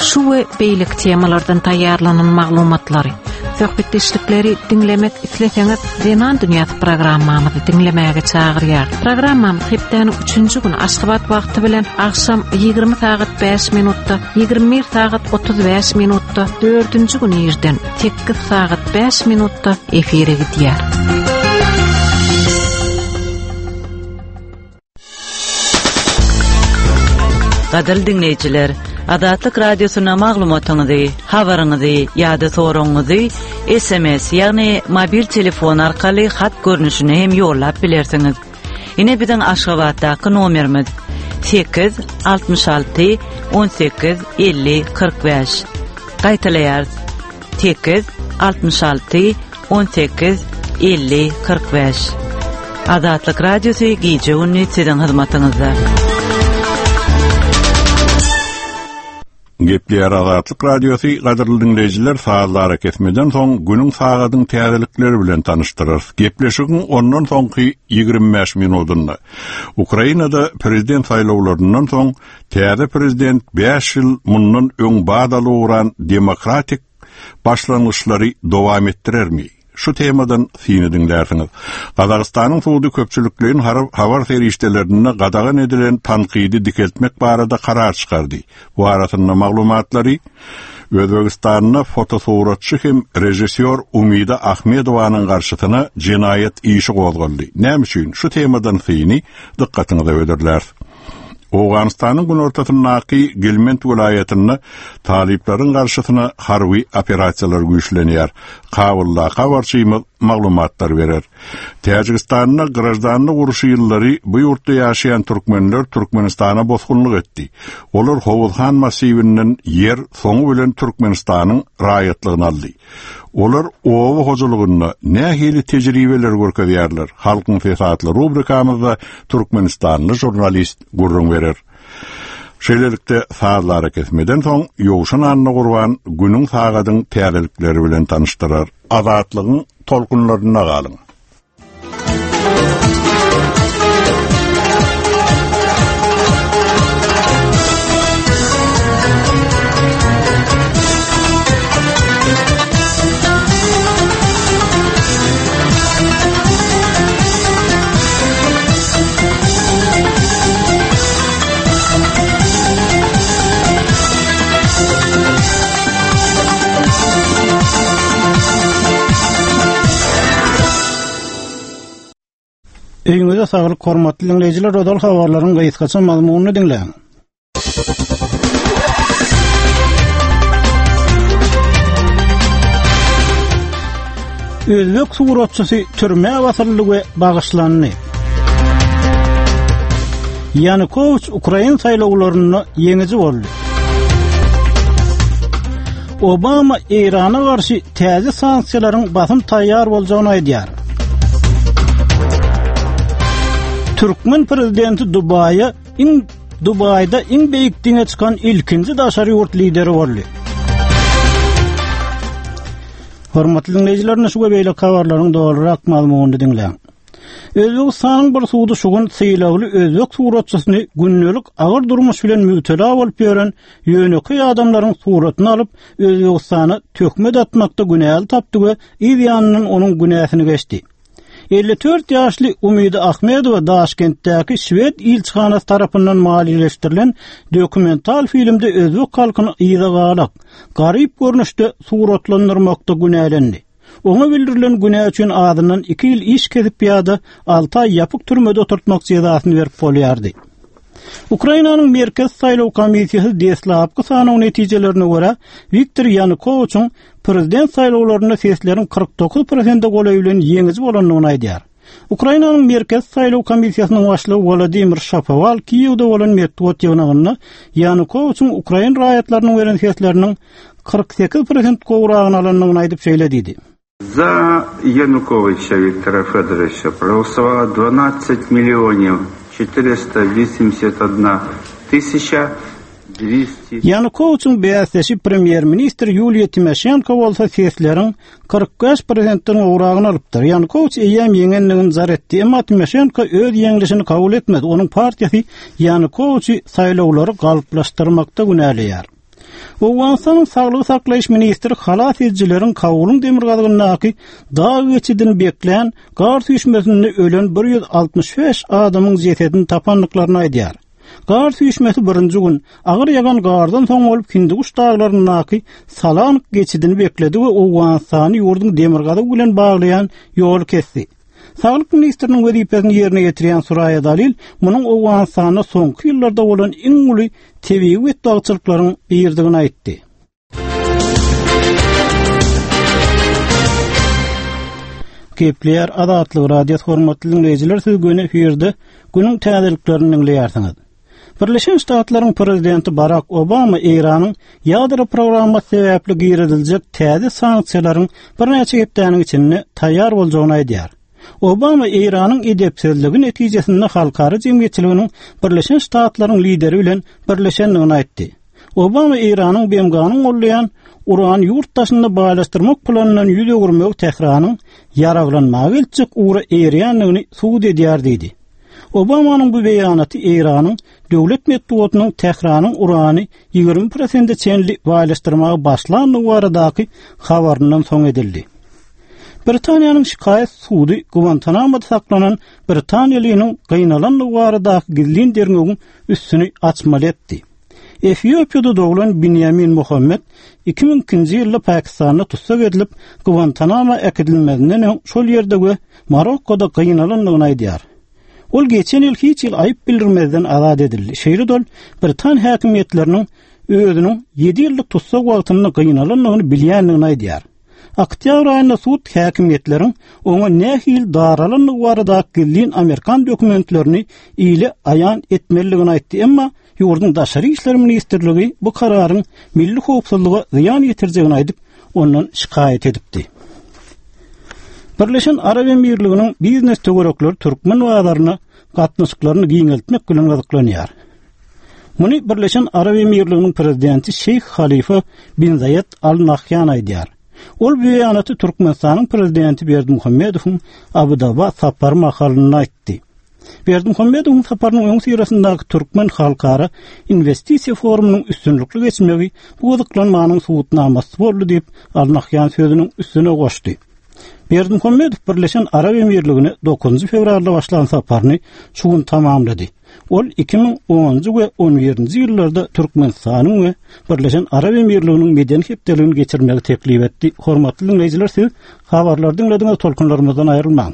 Şu we beýleki temalardan taýýarlanan maglumatlary, söhbetdeşlikleri diňlemek isleseňiz, Zenan dünýäsi programmamyzy diňlemäge çagyrýar. Programmamyz hepdäniň üçünji güni Aşgabat wagty bilen agşam 20 sagat 5 minutda, 21 sagat 35 minutda, dördünji gün irden 8 sagat 5 minutda efire gidýär. Gadyrly diňleýjiler, Azatlyk Radiosyna maglumatyňyzy, habaryňyzy ýa-da soragyňyzy SMS, ýagny mobil telefon arkaly hat görnüşinde hem ýollap bilersiňiz. Ine biziň Aşgabatdaky nomerimiz 8 66 18 50 45. Gaýtalaýarys. 8 66 18 50 45. Azatlyk Radiosy gije-gündiz siziň hyzmatyňyzda. Gepleýär Azatlyk Radiosy, gadyrly diňleýjiler, sazly arakesmeden soň günüň sagadyň täzelikleri bilen tanyşdyrarys. Gepleşigiň ondan soňky 25 minudynda Ukrainada prezident saýlawlaryndan soň täze prezident bäş ýyl mundan öň badalga ugran demokratik başlangyçlary dowam etdirermi? Şu temadan syny diňlärsiňiz. Gazagystanyň sudy köpçülikleýin habar serişdelerinde gadagan edilen tankydy dikeltmek barada karar çykardy. Bu arasynda maglumatlary Özbegistanda fotosuratçy hem režissýor Umida Ahmedowanyň garşysyna jenaýat işi gozgaldy. Näme üçin? Şu temadan syny dykgatyňyza hödürläris. Owganystanyň günortasyndaky Gilmend welaýatynda talyplaryň garşysyna harby operasiýalar güýçlenýär. Kabuldaky habarçymyz maglumatlar berer. Täjigistanda graždanlyk urşy ýyllary bu ýurtda ýaşaýan türkmenler Türkmenistana bosgunlyk etdi. Olar Howuzhan massiwinden ýer soňy bilen Türkmenistanyň raýatlygyny aldy. Olar oba hojalygynda nähili tejribeleri görkezýärler? Halkyň sesi atly rubrikamyzda türkmenistanly žurnalist gürrüň berer. Şeýlelikde, sazly arakesmeden soň Ýowşan Annagurban günüň sagadyň täzelikleri bilen tanyşdyrar. Azatlygyň tolkunlarynda galyň! Öýüňize saglyk hormatly diňleýjiler ozal habarlaryň gysgaça mazmunyny diňläň. Özbek suratçysy türmä basyldy we bagyşlandy. Ýanukowiç Ukrain saýlawlarynda ýeňiji boldy. Obama Eýrana garşy täze sanksiýalaryň basym taýýar boljagyny aýdýar. Türkmen prezidenti Dubaýa iň Dubaýda iň beýik diňe çykan ilkinji daşary ýurt lideri boldy. Hormatly diňleýjiler, şu we beýleki habarlaryň dolurak mazmunyny diňläň. Özbegistanyň bir sudy şu gün sylagly özbek suratçysyny gündelik agyr durmuş bilen mübtela bolup ýören ýönekeý adamlaryň suratyny alyp, Özbegistana töhmet atmakda günäli tapdy we yz ýanyndan onuň günäsini geçdi. 54 ýaşly Umida Ahmedowa Daşkentdäki şwed ilçihanasy tarapyndan maliýeleşdirilen dokumental filmde özbek halkyny yza galak, garyp görnüşde suratlandyrmakda günälendi. Oňa bildirilen günä üçin azyndan iki ýyl iş kesip ýa-da alty aý ýapyk türmede oturtmak jezasyny berip bolýardy. Ukrainanyň Merkezi saýlaw komissiýasy deslapky sanaw netijelerine görä, Wiktor Ýanukowiçiň prezident saýlawlarynda sesleriň 49 prosente golaýy bilen ýeňiji bolandygyny aýdýar. Ukrainanyň Merkezi saýlaw komissiýasynyň başlygy Wolodymyr Şapowal Kiýewde bolan metbugat ýygnagynda Ýanukowiçiň ukrain raýatlarynyň beren sesleriniň 48 prosent gowragyny alandygyny aýdyp şeýle diýdi. Za Ýanukowiça Wiktora Fedorowiça progolosowalo dwanadtsat millionew çetiresta wosymdesýat odna tysýaça Ýanukowiçiň bäsdeşi premýer-ministr Ýuliýa Timoşenko bolsa sesleriň 45 prosentden gowragyny alypdyr. Ýanukowiç eýýäm ýeňendigini jar etdi, emma Timoşenko öz ýeňlişini kabul etmedi, onuň partiýasy Ýanukowiçi saýlawlary galplaşdyrmakda günäleýär. Owganystanyň saglygy saklaýyş ministri halas edijileriň Kabulyň demirgazygyndaky dag geçidini beklän gar süýşmesinde ölen 165 adamyň jesedini tapandyklaryny aýdýar. Gar süýşmesi birinji gün, agyr ýagan gardan soň bolup Hindiguş daglaryndaky Salang geçidini bekledi we Owganystany ýurduň demirgazygy bilen baglaýan ýoly kesdi. Saglyk ministriniň wezipesini ýerine ýetirýän Suraýa Dalil munuň Owganystanda soňky ýyllarda bolan iň uly tebigy betbagtçylyklaryň biridigini aýtdy. Gepleýär Azatlyk Radiosy hormatly diňleýjiler siz göni efirde günüň täzeliklerini diňleýärsiňiz. Birleşen Ştatlaryň prezidenti Barak Obama Eýranyň ýadro programmasy sebäpli giriziljek täze sanksiýalaryň birnäçe hepdäniň içinde taýýar boljagyny aýdýar. Obama Eýranyň edepsizligi netijesinde halkara jemgyýetçiliginiň Birleşen Ştatlaryň lideri bilen birleşendigini aýtdy. Obama Eýranyň BMG-niň gollaýan urany ýurt daşynda baýlaşdyrmak planyndan ýüz öwürmegi Tähranyň ýaraglanmaga eltjek ugra eýerýändigini subut edýär diýdi. Obamanyň bu beýanaty Eýranyň döwlet metbugatynyň Tähranyň urany 20 prosente çenli baýlaşdyrmaga başlandygy baradaky habaryndan soň edildi. Britaniýanyň şikaýat sudy Guantanamoda saklanan britaniýalynyň gynalandygy baradaky gizlin derňewiň üstüni açmaly etdi. Efiopiýada doglan Binýamin Muhammed 2002-nji ýylda Pakistanda tussag edilip, Guantanamo äkidilmezinden öň şol ýerde we Marokkoda gynalandygyny aýdýar. Ol geçen ýyl hiç hili aýyp bildirmezden azat edildi. Şeýle-de ol britan häkimiýetleriniň özüniň ýedi ýyllyk tussag wagtynda gynalandygyny bilýändigini aýdýar. Oktýabr aýynda sud häkimiýetleriň oňa nähili daralandygy baradaky gizlin amerikan dokumentlerini ile aýan etmelidigini aýtdy, emma ýurduň Daşary işler ministrligi bu kararyň milli howpsuzlyga zyýan ýetirjegini aýdyp, ondan şikaýat edipdi. Birleşen Arap Emirliginiň biznes töwerekleri türkmen bazaryna gatnaşyklaryny giňeltmek bilen gyzyklanýar. Muny Birleşen Arap Emirliginiň prezidenti Şeýh Halifa bin Zaýed Al Nahýan aýdýar. Ol bu beýanaty Türkmenistanyň prezidenti Berdimuhamedowyň Abu-Daba sapary mahalynda aýtdy. Berdimuhamedowyň saparynyň öňüsyrasyndaky Türkmen halkara inwestisiýa forumynyň üstünlikli geçmegi bu gyzyklanmanyň subutnamasy boldy diýip, Al Nahýan sözüniň üstüne goşdy. Berdimuhamedow Birleşen Arap Emirligine dokuzynjy fewralda başlan saparyny şu gün tamamlady. Ol 2010-njy we on birinji ýyllarda Türkmenistanyň we Birleşen Arap Emirliginiň medeni hepdeligini geçirmegi teklip etdi. Hormatly diňleýjiler, siz habarlary diňlediňiz, tolkunlarymyzdan aýrylmaň.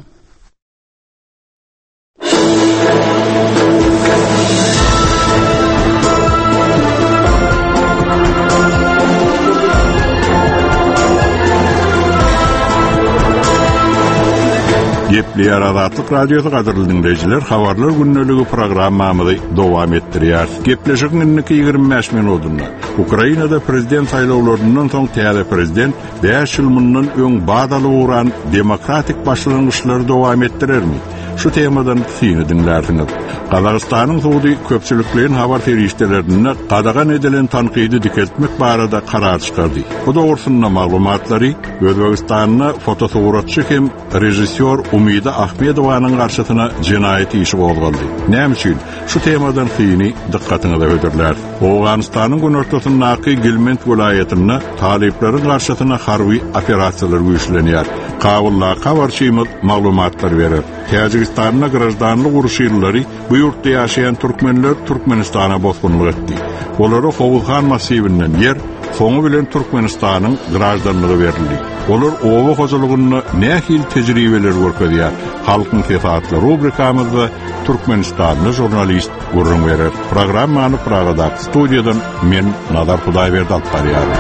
Gepleýär Azatlyk Radiosy gadyrly diňleýjiler, habarlar gündeligi programmamyzy dowam etdirýär. Gepleşigiň indiki 25 minutynda Ukrainada prezident saýlawlaryndan soň täze prezident 5 ýyl mundan öň bat alyp ugran demokratik başlangyçlary dowam etdirermi? Şu temadan syny diňlärsiňiz. Gazagystanyň sudy köpçülikleýin habar serişdelerinde gadagan edilen tankydy dikeltmek barada karar çykardy. Bu dogrusynda maglumatlary Özbegistanda fotosuratçy hem režissýor Umida Ahmedowanyň garşysyna jenaýat işi gozgaldy. Näme üçin? Şu temadan syny dykgatyňyza hödürläris. Owganystanyň günortasyndaky Gilmend welaýatynda talyplaryň garşysyna harby operasiýalar güýçlenýär. Kabuldaky habarçymyz maglumatlar berer. Täjigistanda graždanlyk urşy ýyllary bu ýurtda ýaşaýan türkmenler Türkmenistana bosgunlyk etdi. Olara Howuzhan massiwinden ýer, soňy bilen Türkmenistanyň graždanlygy berildi. Olar oba hojalygynda nähili tejribeleri görkezýär? Halkyň sesi atly rubrikamyzda türkmenistanly žurnalist gürrüň berer. Programmany Pragadaky studiýadan men Nazar Hudaýberdi alyp barýaryn.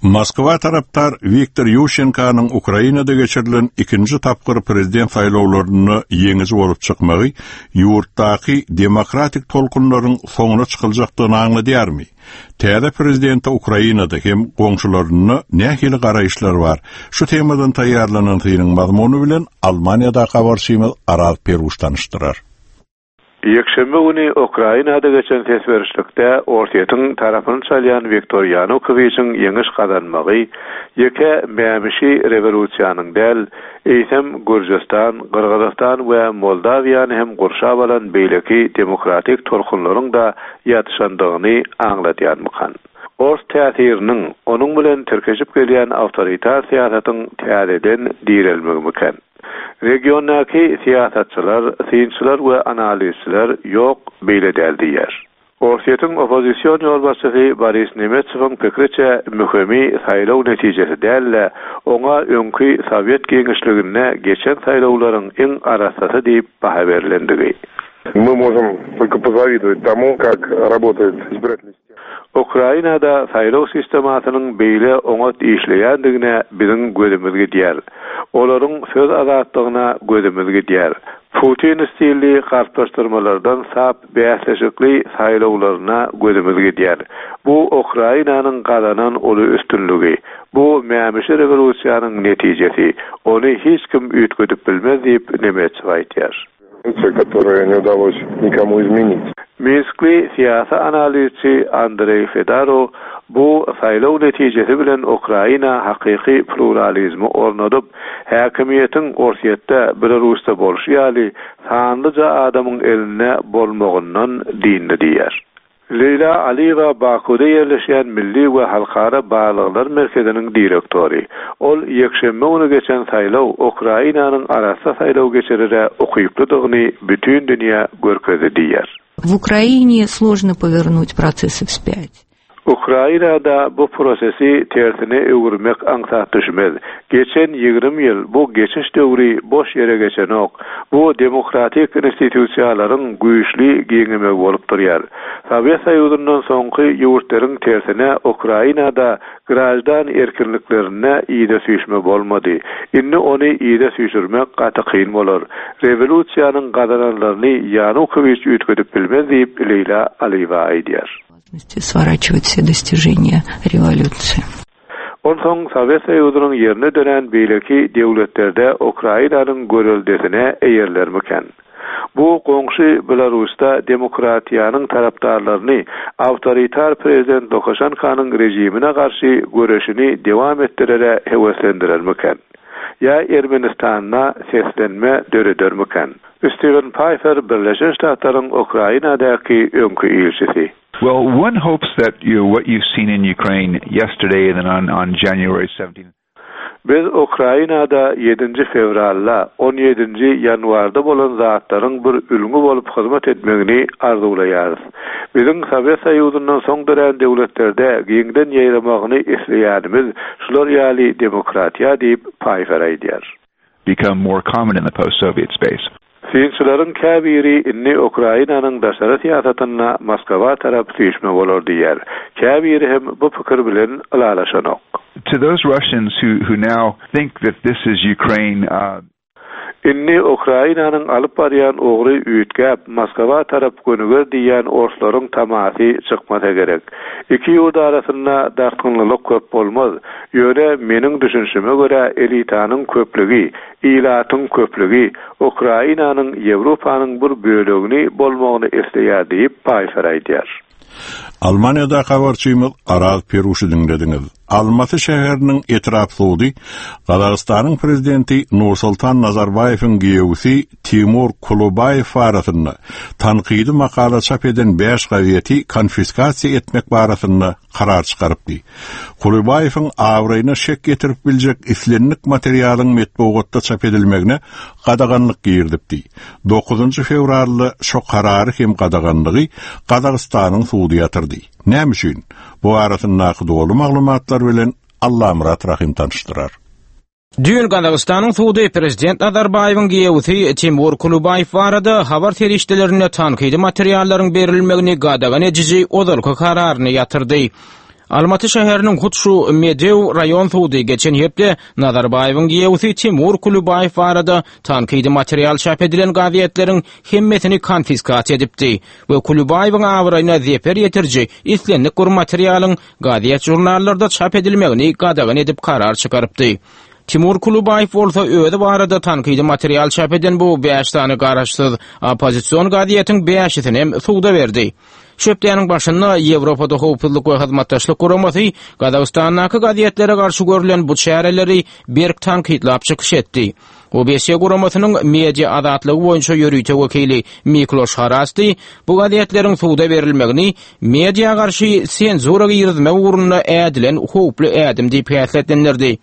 Moskwa tarapdar Wiktor Ýuşenkanyň Ukrainada geçirilen ikinji tapgyr prezident saýlawlarynda ýeňiji bolup çykmagy ýurtdaky demokratik tolkunlaryň soňuna çykyljakdygyny aňladýarmy? Täze prezidente Ukrainada hem goňşularynda nähili garaýyşlar bar? Şu temadan taýýarlanan synyň mazmuny bilen Almaniýadaky habarçymyz Araz Peruş tanyşdyrar. Ýekşenbe güni Ukrainada geçen ses berişlikde Orsýetiň tarapyny çalýan Wiktor Ýanukowiçiň ýeňiş gazanmagy ýeke mämişi rewolýusiýanyň däl, eýsem Gürjüstan, Gyrgyzystan we Moldawiýany hem gurşap alan beýleki demokratik tolkunlaryň-da ýatyşandygyny aňladýarmykan? Ors täsiriniň, onuň bilen tirkeşip gelýän awtoritar syýasatyň täzeden direlmegimikan? Regiondaky syýasatçylar, synçylar we analizçiler ýok, beýle däl diýýär. Orsýetiň oppozision ýolbaşçysy Boris Nemetsowyň pikriçe, möhümi saýlaw netijesi däl-de, oňa öňki sowet giňişliginde geçen saýlawlaryň iň arassasy diýip baha berlendigi. Мы можем только позавидовать тому, как работает избирательная Ukrainada saýlaw sistemasynyň beýle oňat işleýändigine biziň gözümiz gidýär. Olaryň söz azatlygyna gözümiz gidýär. Putin stilli galplaşdyrmalardan sap bäsleşikli saýlawlaryna gözümiz gidýär. Bu Ukrainanyň gazanan uly üstünligi. Bu mämişi rewolýusiýanyň netijesi. Ony hiç kim üýtgedip bilmez diýip, Nemetsow aýdýar. Minskli syýasy analizçi Andreý Fedarow bu saýlaw netijesi bilen Ukraina hakyky pluralizmi ornadyp, häkimiýetiň Orsýetde, Belarusda bolşy ýaly sanlyja adamyň elinde bolmagyndan dyndy diýýär. Leýla Aliýewa Bakuwda ýerleşýän Milli we halkara barlaglar merkeziniň direktory. Ol ýekşenbe güni geçen saýlaw Ukrainanyň arassa saýlaw geçirere ukyplydygyny bütin dünýä görkezdi diýýär. W Ukrainie složno powernuť procesy wspýať. Ukrainada bu prosesi tersine öwürmek aňsat düşmez. Geçen 20 ýyl bu geçiş döwri boş ýere geçenok. Bu demokratik institusiýalaryň güýçli giňemegi bolup durýar. Sowet Soýuzyndan soňky ýurtlaryň tersine Ukrainada graždan erkinliklerinde yza süýşme bolmady. Indi ony yza süýşürmek gaty kyn bolar. Rewolýusiýanyň gazananlaryny Ýanukowiç üýtgedip bilmez diýip, Leýla Aliýewa aýdýar. Sworачивать все достижения rewolýusiýa. Onsoň Sowet Soýuzynyň ýerine dörän beýleki döwletlerde Ukrainanyň göreldesine eýerilermikän? Bu goňşy Belarusda demokratiýanyň tarapdarlaryny awtoritar prezident Lukaşenkanyň režimine garşy göreşini dewam etdirere höweslendirermikän? Ýa Ermenistanda seslenme döredermikän? Stiwen Paýfer Birleşen Ştatlaryň Ukrainadaky öňki ilçisi. Well, one hopes that you know, what you've seen in Ukraine yesterday and then on, on January 17th. Biz Ukrainada ýedinji fewralda, on ýedinji ýanwarda bolan zatlaryň bir ülňi bolup hyzmat etmegini arzuwlaýarys. Biziň Sowet Soýuzyndan soň dörän döwletlerde giňden ýaýramagyny isleýänimiz şular ýaly demokratiýa diýip, Paýfer aýdýar. become more common in the post-Soviet space. Synçylaryň käbiri indi Ukrainanyň daşary syýasatynda Moskwa tarap süýşme bolar diýýär. Käbiri hem bu pikir bilen ylalaşanok. To those Russians who who now think that this is Ukraine uh. Indi Ukrainanyň alyp barýan ugry üýtgäp, Moskwa tarap gönüger diýýän orslaryň tamasy çykmasa gerek. Iki ýurt arasynda dartgynlylyk köp bolmaz. Ýöne meniň düşünişime görä elitanyň köplügi, ilatyň köplügi Ukrainanyň Ýewropanyň bir bölegini bolmagyny isleýär diýip, Paýfer aýdýar. Almaniýadaky habarçymyz Araz Peruşy diňlediňiz. Almaty şäheriniň etrap sudy Gazagystanyň prezidenti Nursultan Nazarbaýewiň giýewisi Timur Kulubaýew barasynda tankydy makala çap eden bäş gazeti konfiskasiýa etmek barasynda karar çykarypdy. Kulybaýewiň abraýyna şek ýetirip biljek islendik materialyň metbugatda çap edilmegine gadaganlyk girizipdi. Dokuzynjy fewralda şo karary hem gadaganlygy Gazagystanyň sudy ýatyrdy. Näme üçin? Bu barasyndaky doly maglumatlar bilen Allamyrat Rahym tanyşdyrar. Düýn Gazagystanyň sudy prezident Nazarbaýewiň giýewisi Timur Kulubaýew barada habar serişdelerinde tankydy materiallaryň berilmegini gadagan ediji ozalky kararyny ýatyrdy. Almaty şäheriniň hut şu Medew raýon sudy geçen hepde Nazarbaýewiň giýewisi Timur Kulubaýew barada tankydy material çap edilen gazetleriň hemmesini konfiskasiýa edipdi we Kulubaýewiň abraýyna zeper ýetiriji islendik bir materialyň gazet-žurnallarda çap edilmegini gadagan edip karar çykarypdy. Timur Kulubaýew bolsa özi barada tankydy material çap eden bu bäş sany garaşsyz oppozision gazetiň bäşisini hem suda berdi. Şu hepdäniň başynda Ýewropada Howpsuzlyk we Hyzmatdaşlyk Guramasy Gazagystandaky gazetlere garşy görlen bu çäreleri berk tankytlap çykyş etdi. OBSE guramasynyň media azatlygy boýunça ýörite wekili Mikloş Harasti bu gazetleriň suda berilmegini media garşy senzura girizmek ugrunda ädilen howply ädim diýip häsiýetlendirdi.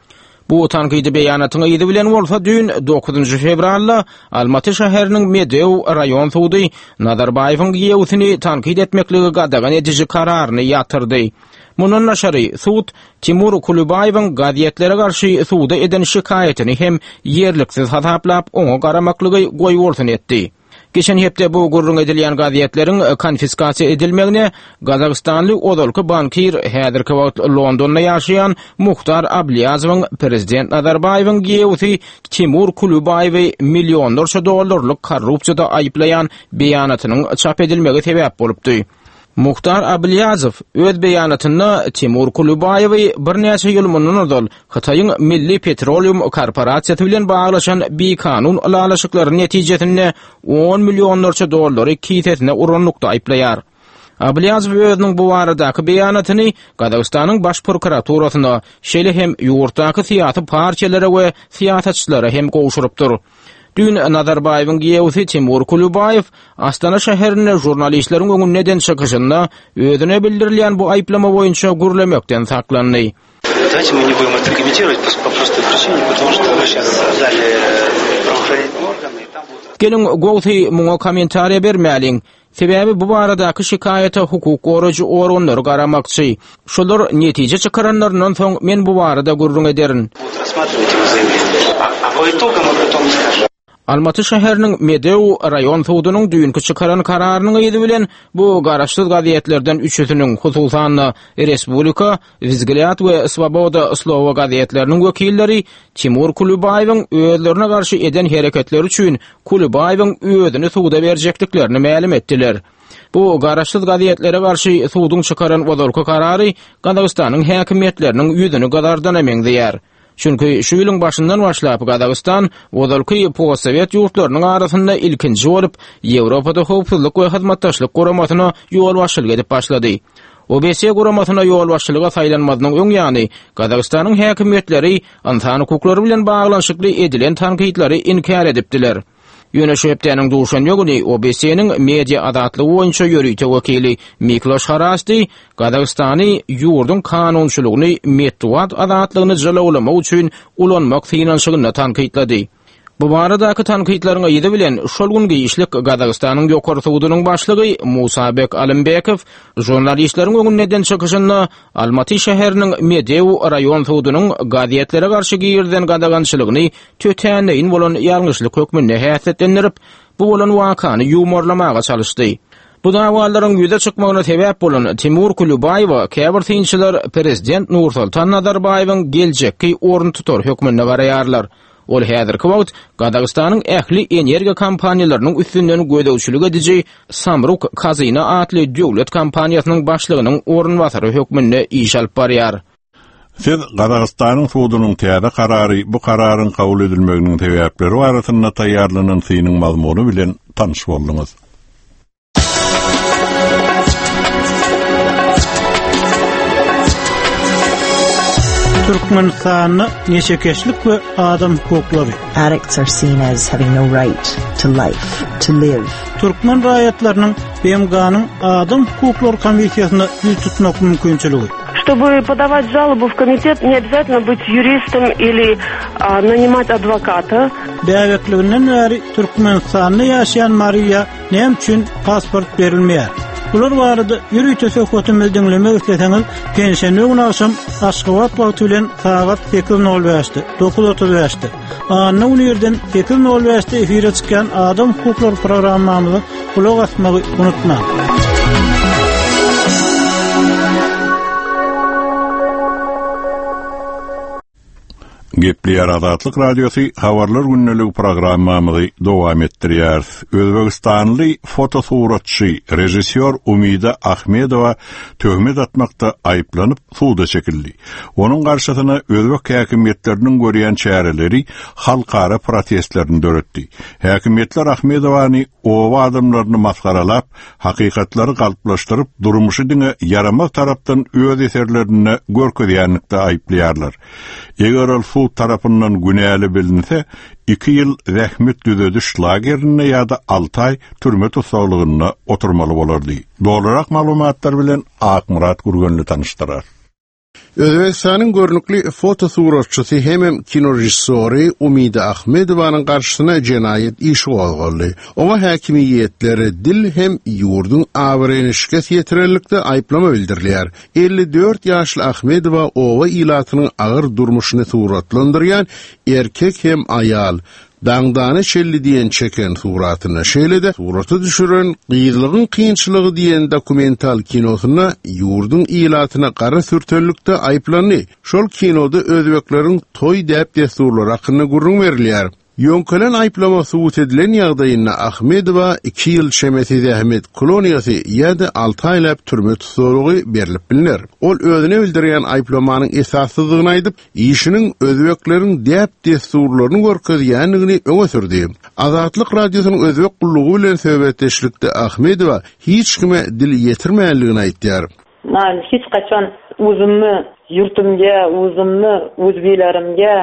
Bu tankydy beýanatyň yzy bilen bolsa düýn dokuzynjy fewralda Almaty şäheriniň Medew raýon sudy Nazarbaýewiň giýewsini tankyt etmekligi gadagan ediji kararyny ýatyrdy. Mundan daşary, sud Timur Kulybaýewiň gazetlere garşy suda eden şikaýatyny hem ýerliksiz hasaplap, oňa garamaklygy goýbolsun etdi. Geçen hepde bu gürrüň edilýän gazetleriň konfiskasiýa edilmegine gazagystanly ozalky bankir, häzirki wagt Londonda ýaşaýan Muhtar Ablýazowyň prezident Nazarbaýewiň giýewsi Timur Kulybaýewi millionlarça dollarlyk korrupsiýada aýyplaýan beýanatynyň çap edilmegi sebäp bolupdy. Muhtar Ablýazow öz beýanatynda Timur Kulybaýewi birnäçe ýyl mundan ozal Hytaýyň Milli petroleum korporasiýasy bilen baglaşan bikanun ylalaşyklary netijesinde on millionlarça dollary kisesine uranlykda aýyplaýar. Ablýazow özüniň bu baradaky beýanatyny Gazagystanyň Baş prokuraturasyna, şeýle hem ýurtdaky syýasy partiýalara we syýasatçylara hem gowşurypdyr. Düýn Nazarbaýewiň giýewsi Timur Kulybaýew Astana şäherinde žurnalistleriň öňünde eden çykyşynda özüne bildirilýän bu aýyplama boýunça gürlemekden saklandy. Давайте мы не будем это комментировать по простой причине, потому что мы сейчас дали правоохранительные органы, и там будут... Geliň, gowsy muňa kommentariýa bermäliň. Sebäbi bu baradaky şikaýata hukuk goraýjy organlary garamakçy. Şolar netije çykaranlaryndan soň men bu barada gürrüň ederin. Almaty şäheriniň Medew raýon sudunyň düýnki çykaran kararynyň yzy bilen bu garaşsyz gazetlerden üçüsiniň, hususan-da, Respublika, Wzglýad we Swoboda slowa gazetleriniň wekilleri Timur Kulybaýewiň özlerine garşy eden hereketleri üçin Kulybaýewiň özüni suda berjekdiklerini mälim etdiler. Bu garaşsyz gazetlere garşy suduň çykaran ozalky karary Gazagystanyň häkimiýetleriniň ýüzüni gyzardana meňzeýär. Çünki şu ýylyň başyndan başlap Gazagystan ozalky postsowet ýurtlarynyň arasynda ilkinji bolup Ýewropada Howpsuzlyk we Hyzmatdaşlyk Guramasyna ýolbaşçylyk edip başlady. OBSE guramasyna ýolbaşçylyga saýlanmazynyň öň ýany Gazagystanyň häkimiýetleri ynsan hukuklary bilen baglanyşykly edilen tankytlary inkär edipdiler. Ýöne şu hepdäniň duşenbe güni OBSE-niň media azatlygy boýunça ýörite wekili Mikloş Harasti Gazagystany ýurduň kanunçylygyny metbugat azatlygyny jylawlamak üçin ulanmak synanyşygynda tankytlady. Bu baradaky tankytlaryň yzy bilen şol gün giçlik Gazagystanyň Ýokary sudunyň başlygy Musabek Alymbekow žurnalistleriň öňünde eden çykyşynda Almaty şäheriniň Medeu raýon sudunyň gazetlere garşy girizen gadagançylygyny tötänleýin bolan ýalňyşlyk hökmünde häsiýetlendirip, bu bolan wakany ýuwmarlamaga çalyşdy. Bu dawalaryň ýüze çykmagyna sebäp bolan Timur Kulübaýewe käbir synçylar prezident Nursoltan Nazarbaýewiň geljekki oruntutary hökmünde garaýarlar. Ol häzirki wagt Gazagystanyň ähli energiýa kompaniýalarynyň üstünden gözegçilik ediji Samruk Kazyna atly döwlet kompaniýasynyň başlygynyň orunbasary hökmünde iş alyp barýar. Siz Gazagystanyň sudunyň täze karary, bu kararyň kabul edilmeginiň sebäpleri barasynda taýýarlanan synyň mazmuny bilen tanyş bolduňyz. Türkmenistanda neşekeşlik we adam hukuklary. Addicts are seen as having no right to life, to live. Türkmen raýatlarynyň BMG-niň Adam hukuklary komissiýasyna ýüz tutmak mümkinçiligi. Чтобы подавать жалобу в комитет, не обязательно быть юристом или а, нанимать адвоката. Bäbekliginden bäri Türkmenistanda ýaşaýan Mariýa Näme üçin pasport berilmeýär? Bular barada ýörite söhbetimizi diňlemek isleseňiz, penşenbe güni agşam Aşgabat wagty bilen sagat 8:05-de, 9:35-de, anna güni irden 8:05-de efire çykýan Adam hukuklary programmamyza gulak asmagy unutmaň. Gepleýär Azatlyk Radiosy Habarlar gündeligi programmamyzy dowam etdirýäris. Özbegistanly fotosuratçy, režissýor Umida Ahmedowa töhmet atmakda aýyplanyp, suda çekildi. Onuň garşysyna özbek häkimiýetleriniň görýän çäreleri halkara protestlerini döretdi. Häkimiýetler Ahmedowany oba adamlaryny masgaralap, hakykatlary galplaşdyryp, durmuşy diňe ýaramaz tarapdan öz eserlerinde görkezýänlikde aýyplaýarlar. Eger ol sud tarapyndan günäli bilinse, iki ýyl zähmet düzediş lagerinde ýa-da alty aý türme tussaglygynda oturmaly bolardy. Dolurak maglumatlar bilen Akmyrat Gürgenli tanyşdyrar. Özbegistanyň görnükli fotosuratçysy hemem kinorežissýory Umida Ahmedowanyň garşysyna jenaýat işi gozgaldy. Oňa häkimiýetlere dil hem ýurduň abraýyna şikes ýetirenlikde aýyplama bildirilýär. 54 ýaşly Ahmedowa oba ilatynyň agyr durmuşyny suratlandyrýan Erkek hem aýal, Daňdana çenli diýen çeken suratynda, şeýle-de surata düşüren Gyzlygyň kynçylygy diýen dokumental kinosynda ýurduň ilatyna gara sürtenlikde aýyplandy. Şol kinoda özbekleriň toý däp-dessurlary hakynda gürrüň berilýär. Ýöňkelen aýyplama subut edilen ýagdaýynda Ahmedowa iki ýyl çemesi zähmet koloniýasy ýa-da alty aýlap türme tussaglygy berlip bilner. Ol özüne bildirýän aýyplamanyň esassyzdygyny aýdyp, işiniň özbekleriň däp-dessurlaryny görkezýändigini öňe sürdi. Azatlyk Radiosynyň Özbek gullugy bilen söhbetdeşlikde Ahmedowa hiç kime dil ýetirmändigini aýtýar. Men hiç gaçan uzummy ýurtumga, uzummy uzbilerimge.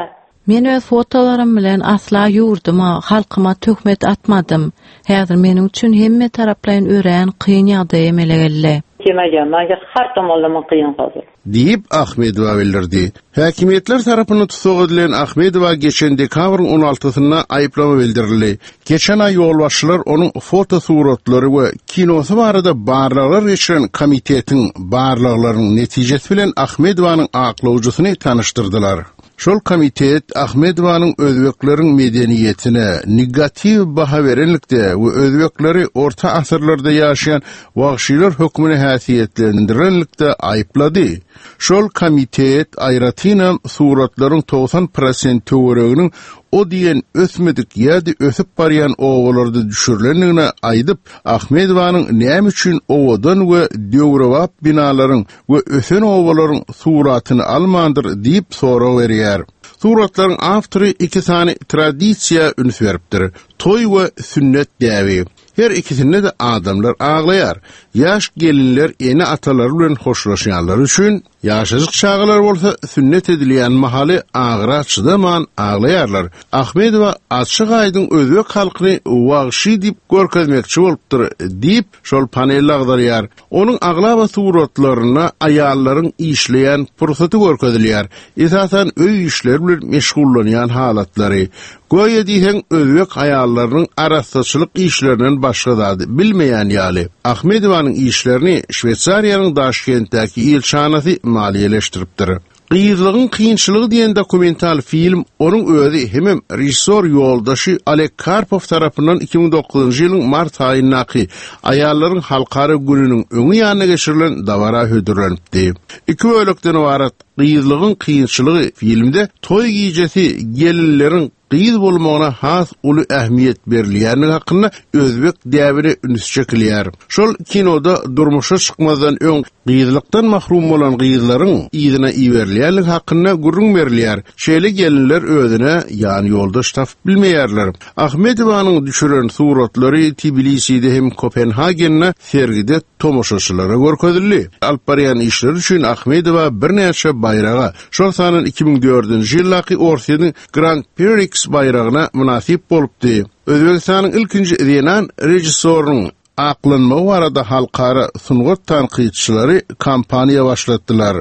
Men öz fotolarym bilen asla ýurduma, halkyma töhmet atmadym. Häzir meniň üçin hemme taraplaýyn örän kyn ýagdaý emele geldi. Kelmagan, manga har tomonlama qiyin hozir. Diýip, Ahmedowa bildirdi. Häkimiýetler tarapyndan tussag edilen Ahmedowa geçen dekabryň on altysynda aýyplama bildirildi. Geçen aý ýolbaşçylar onuň fotosuratlary we kinosy barada barlaglar geçiren komitetiň barlaglarynyň netijesi bilen Ahmedowanyň aklawjysyny tanyşdyrdylar. Şol komitet Ahmedowanyň özbekleriň medeniýetine negatiw baha berenlikde we özbekleri orta asyrlarda ýaşaýan wagşylar hökmünde häsiýetlendirenlikde aýyplady. Şol komitet aýratynam suratlaryň 90 prosent töwereginiň o diýen ösmedik ýa-da ösüp barýan obalarda düşürilendigini aýdyp, Ahmedowanyň näme üçin owadan we döwrebap binalaryň we ösen obalaryň suratyny almandyr diýip sorag berýär. Suratlaryň awtory iki sany tradisiýa üns beripdir, toý we sünnet däbi. Her ikisinde-de adamlar aglaýar. Ýaş gelinler ene-atalary bilen hoşlaşýanlary üçin. Ýaşajyk çagalar bolsa sünnet edilýän mahaly agyra çydaman aglaýarlar. Ahmedowa açyk-aýdyň özbek halkyny wagşy diýip görkezmekçi bolupdyr diýip, şol panel agzalýar. Onuň aglaba suratlarynda aýallaryň işleýän pursaty görkezilýär, esasan öý işleri bilen meşgullanýan halatlary. Göýä diýseň özbek aýallarynyň arassaçylyk işlerinden başga zady bilmeýän ýaly. Ahmedowanyň işlerini Şweýsariýanyň Daşkentdäki ilçihanasy maliýeleşdiripdir. Gyzlygyň kynçylygy diýen dokumental film onuň özi hemem režissýor ýoldaşy Oleg Karpow tarapyndan 2009-njy ýylyň mart aýyndaky Aýallaryň halkara gününiň öňi ýanynda geçirilen dabara hödürlenipdi. Iki bölekden ybarat Gyzlygyň kynçylygy filmde toý gijesi gelinleriň gyz bolmagyna has uly ähmiýet berilýändigi hakynda özbek däbine üns çekilýär. Şol kinoda durmuşa çykmazdan öň gyzlykdan mahrum bolan gyzlaryň yzyna iberilýändigi hakynda gürrüň berilýär. Şeýle gelinler özüne ýanýoldaş tapyp bilmeýärler. Ahmedowanyň düşüren suratlary Tbiliside hem Kopenhagende sergide tomaşaçylara görkezildi. Alyp barýan işleri üçin Ahmedowa birnäçe baýraga, şol sandan 2004-nji ýyldaky Orsýetiň Grand Prix baýragyna mynasyp bolupdy. Özbegistanyň ilkinji zenan režissýorynyň aklanmagy barada halkara sungat tankytçylary kampaniýa başlatdylar.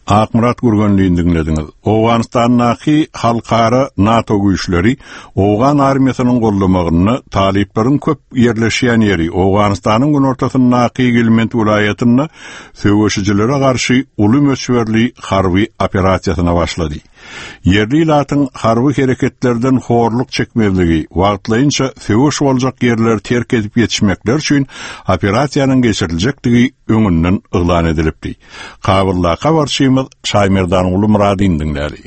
Akmyrat Gürgenlini diňlediňiz. Owganystandaky halkara NATO güýçleri owgan armiýasynyň goldamagynda talyplaryň köp ýerleşýän ýeri Owganystanyň günortasyndaky Gilmend welaýatynda söweşijilere garşy uly möçberli harby operasiýasyna başlady. Ýerli ilatyň harby hereketlerden horluk çekmezligi, wagtlaýynça söweş boljak ýerleri terk edip ýetişmekleri üçin operasiýanyň geçiriljekdigi öňünden yglan edilipdi. Kabuldaky habarçymyz Şaýmerdanguly Myradyny diňläli.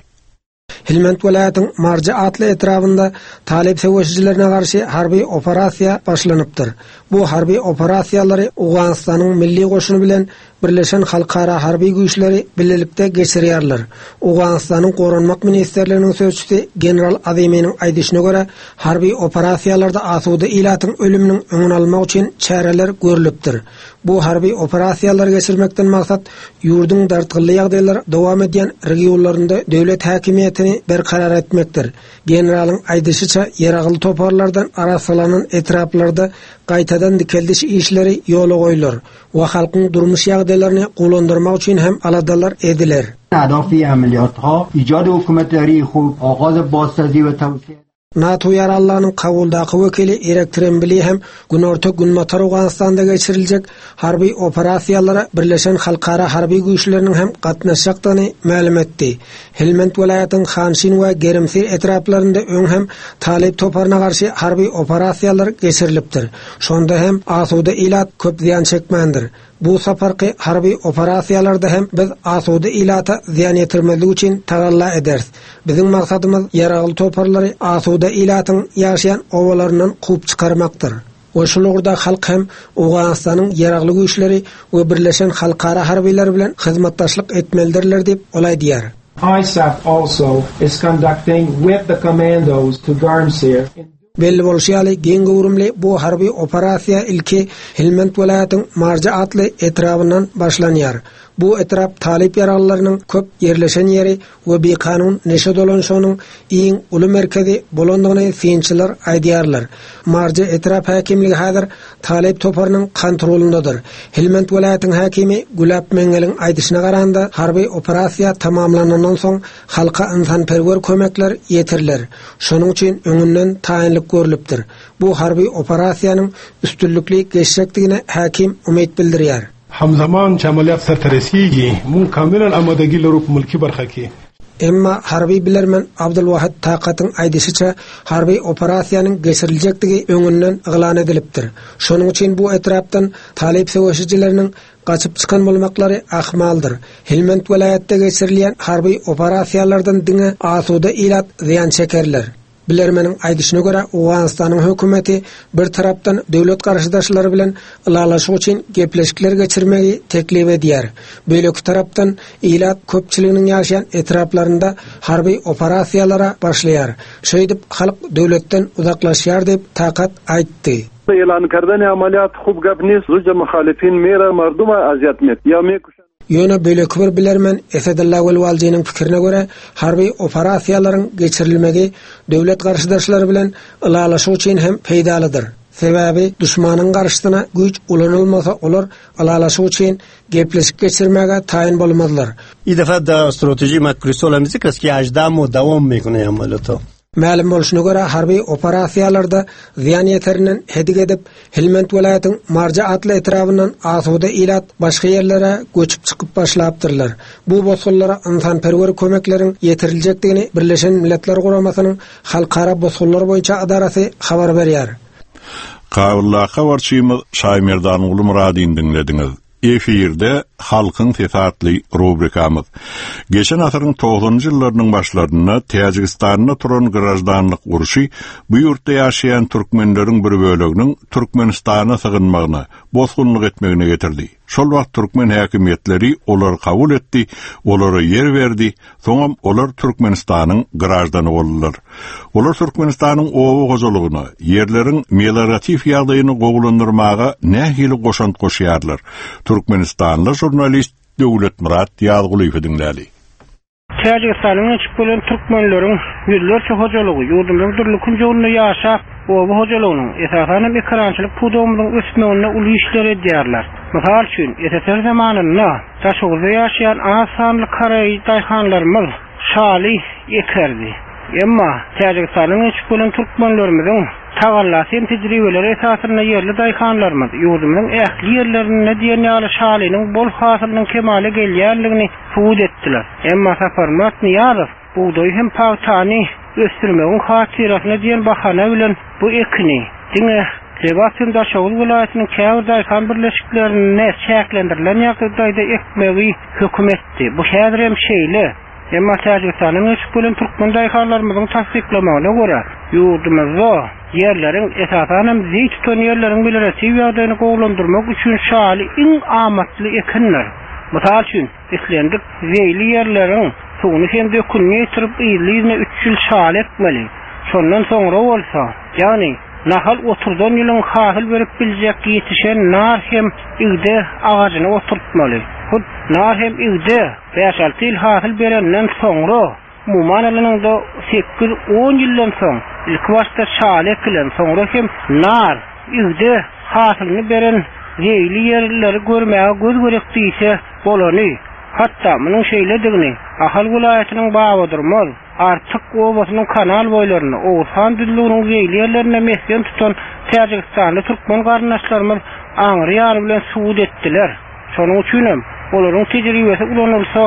Helmand welaýatyň Marja atly etrabynda talyp söweşijilerine garşy harby operasiýa başlanypdyr. Bu harby operasiýalary Owganystanyň milli goşuny bilen Birleşen halkara harby güýçleri bilelikde geçirýärler. Owganystanyň Goranmak ministrliginiň sözçüsi general Aziminiň aýdyşyna görä, harby operasiýalarda asuda ilatyň ölüminiň öňüni almak üçin çäreler görlüpdir. Bu harby operasiýalary geçirmekden maksat ýurduň dartgynly ýagdaýlar dowam edýän regionlarynda döwlet häkimiýetini berkarar etmekdir. Generalyň aýdyşyça, ýaragly toparlardan arassalanan etraplarda gaýtadan dikeldiş işleri ýola goýlar. we halkyň durmuş ýagdaýlaryny gowulandyrmak üçin hem aladalar ediler. NATO ýaraglylarynyň Kabuldaky wekili Irek Trembli hem Günorta-Günbatar Owganystanda geçiriljek harby operasiýalara Birleşen halkara harby güýçleriniň hem gatnaşjakdygyny mälim etdi. Helmand welaýatynyň Hanşin we Gerimsir etraplarynda öň hem Talyp toparyna garşy harby operasiýalar geçirilipdir. Şonda hem asuda ilat köp zyýan çekmändir. Bu saparky harby operasiýalarda hem biz asuda ilata zyýan ýetirmezlik üçin tagalla ederis. Biziň maksadymyz ýaragly toparlary asuda ilatyň ýaşaýan obalaryndan kowup çykarmakdyr. We şul ugurda halk hem Owganystanyň ýaragly güýçleri we birleşen halkara harbylary bilen hyzmatdaşlyk etmelidirler diýip, ol aýdýar. ISAF also is conducting with the commandos to Garmsir in. Belli bolşy ýaly, giň göwrümli bu harby operasiýa ilki Helmand welaýatyň Marja atly etrabyndan başlanýar. Bu etrap talyp ýaraglylarynyň köp ýerleşen ýeri we bikanun neşe dolanyşygynyň iň uly merkezi bolandygyny synçylar aýdýarlar. Marja etrap häkimligi häzir talyp toparynyň kontrolyndadyr. Helmand welaýatyň häkimi Gülap Meňňeliň aýdyşyna garanda, harby operasiýa tamamlanandan soň halka ynsanperwer kömekler ýetiriler. Şonuň üçin öňünden taýynlyk görlüpdir. Bu harby operasiýanyň üstünlikli geçjekdigine häkim umyt bildirýär. همزمان چې عملیات سرته رسیږي، موږ کاملاً امادګي لرو په ملکي برخه کې. Emma harby bilermen Abdulwahid Takatyň aýdyşyça, harby operasiýanyň geçiriljekdigi öňünden yglan edilipdir. Şonuň üçin bu etrapdan talyp söweşijileriniň gaçyp çykan bolmaklary ahmaldyr. Helmand welaýatda geçirilýän harby operasiýalardan diňe asuda ilat zyýan çekerler. Bilermeniň aýdyşyna görä, Owganystanyň hökümeti bir tarapdan döwlet garşydaşlary bilen ylalaşyk üçin gepleşikler geçirmegi teklip edýär, beýleki tarapdan ilat köpçüliginiň ýaşaýan etraplarynda harby operasiýalara başlaýar. Şeýdip, halk döwletden uzaklaşýar diýip, Takat aýtdy. اعلان کردن عملیات خوب گپ نیست زوج مخالفین میره مردم اذیت میت یا میکشن. Ýöne beýleki bir bilermen Esedulla Welwaljynyň pikirine görä, harby operasiýalaryň geçirilmegi döwlet garşydaşlary bilen ylalaşyk üçin hem peýdalydyr. Sebäbi duşmanyň garşysyna güýç ulanylmasa olar ylalaşyk üçin gepleşik geçirmäge taýyn bolmazlar. این دفعه در استراتژی مکریستال هم ذکر است که 18 ماه دوام میکنه عملیات Mälim bolşuna görä, harby operasiýalarda zyýan ýeterinden hedik edip, Helmand welaýatyň Marja atly etrabyndan asuda ilat başga ýerlere göçüp çykyp başlapdyrlar. Bu bosgunlara ynsanperwer kömekleriň ýetiriljekdigini Birleşen Milletler Guramasynyň Halkara bosgunlar boýunça ydarasy habar berýär. Kabuldaky habarçymyz Şaýmerdanguly Myradyny diňlediňiz. Efirde Halkyň sesi atly rubrikamyz. Geçen asyryň togsanynjy ýyllarynyň başlarynda Täjigistanda turan graždanlyk urşy bu ýurtda ýaşaýan türkmenleriň bir böleginiň Türkmenistana sygynmagyna, bosgunlyk etmegine getirdi. Şol wagt türkmen häkimiýetleri olary kabul etdi, olara ýer berdi, Soňam olar Türkmenistanyň graždany boldular. Olar Türkmenistanyň oba hojalygyna, ýerleriň melioratiw ýagdaýyny gowulandyrmaga nähili goşant goşýarlar? Türkmenistanly žurnalist Döwletmyrat Ýazgulyýewi diňläli. Täjigistana göçüp gelen türkmenleriň ýüzlerçe hojalygy ýurdumyzyň dürli künjeginde ýaşap, oba hojalygynyň, esasan hem ekerançylyk pudagymyzyň ösmeginde uly işleri edýärler. Mysal üçin, SSR zamanynda Daşoguzda ýaşaýan az sanly karaý daýhanlarymyz şaly ekerdi. Emma Täjigistandan göçüp gelen türkmenlerimiziň tagallasy hem tejribeleri esasynda ýerli daýhanlarymyz ýurdumyzyň ähli ýerlerinde diýen ýaly şalynyň bol hasylynyň kemala gelýändigini subut etdiler. Emma Saparmyrat Nyýazow Bugdaýy hem pagtany ösdürmegiň hatyrasyna diýen bahana bilen bu ekini diňe Lebap hem Daşoguz welaýatynyň käbir daýhan birleşiklerinde çäklendirilen ýagdaýda ekmegi höküm etdi. Bu häzir hem şeýle. Emma Täjigistandan göçüp gelen türkmen daýhanlarymyzyň tassyklamagyna görä, ýurdumyzda ýerleriň, esasan hem zeý tutan ýerleriň melioratiw ýagdaýyny gowulandyrmak üçin şaly iň amatly ekindir. Mysal üçin, Islendik zeýli ýerleriň suwuny hem dökünini ýetirip yzly-yzyna üç ýyl şaly ekmeli. Şondan soňra bolsa, ýagny nahal oturdan ýylyň hasyl berip biljek ýetişen nar hem igde agajyny oturtmaly. Hut nar hem igde bäş-alty ýyl hasyl berenden soňra, umuman alanyňda sekiz-on ýyldan soň, ilkibaşda şaly ekilen, soňra hem nar, igde hasylyny beren zeýli ýerleri görmäge göz gerek diýse bolany. Hatda munuň şeýledigini Ahal welaýatynyň Babadurmaz, Artyk obasynyň kanal boýlarynda, Oguzhan düzlüginiň zeýli ýerlerinde mesgen tutan täjigistanly türkmen garyndaşlarymyz aňry ýany bilen subut etdiler. Şonuň üçinem olaryň tejribesi ulanylsa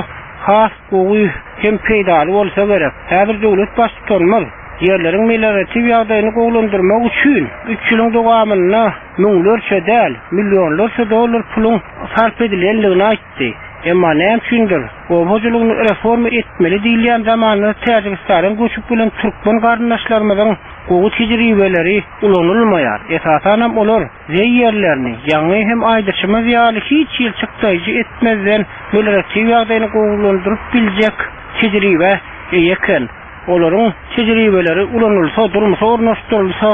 has gowy hem peýdaly bolsa gerek. Häzir döwlet Baştutanymyz ýerleriň melioratiw ýagdaýyny gowulandyrmak üçin üç ýylyň dowamynda müňlerçe däl, millionlarça dollar puluň sarp edilendigini aýtdy. Emma näme üçindir, oba hojalygyny reforma etmeli diýilýän zamanda Täjigistandan göçüp gelen türkmen garyndaşlarymyzyň gowy tejribeleri ulanylmaýar. Esasanam olar Zeý ýerlerini, ýaňy hem aýdyşymyz ýaly hiç hili çykdaýjy etmezden melioratiw ýagdaýyny gowulandyryp biljek tejribä eýe eken. Olaryň tejribeleri ulanylsa, durmuşa ornaşdyrylsa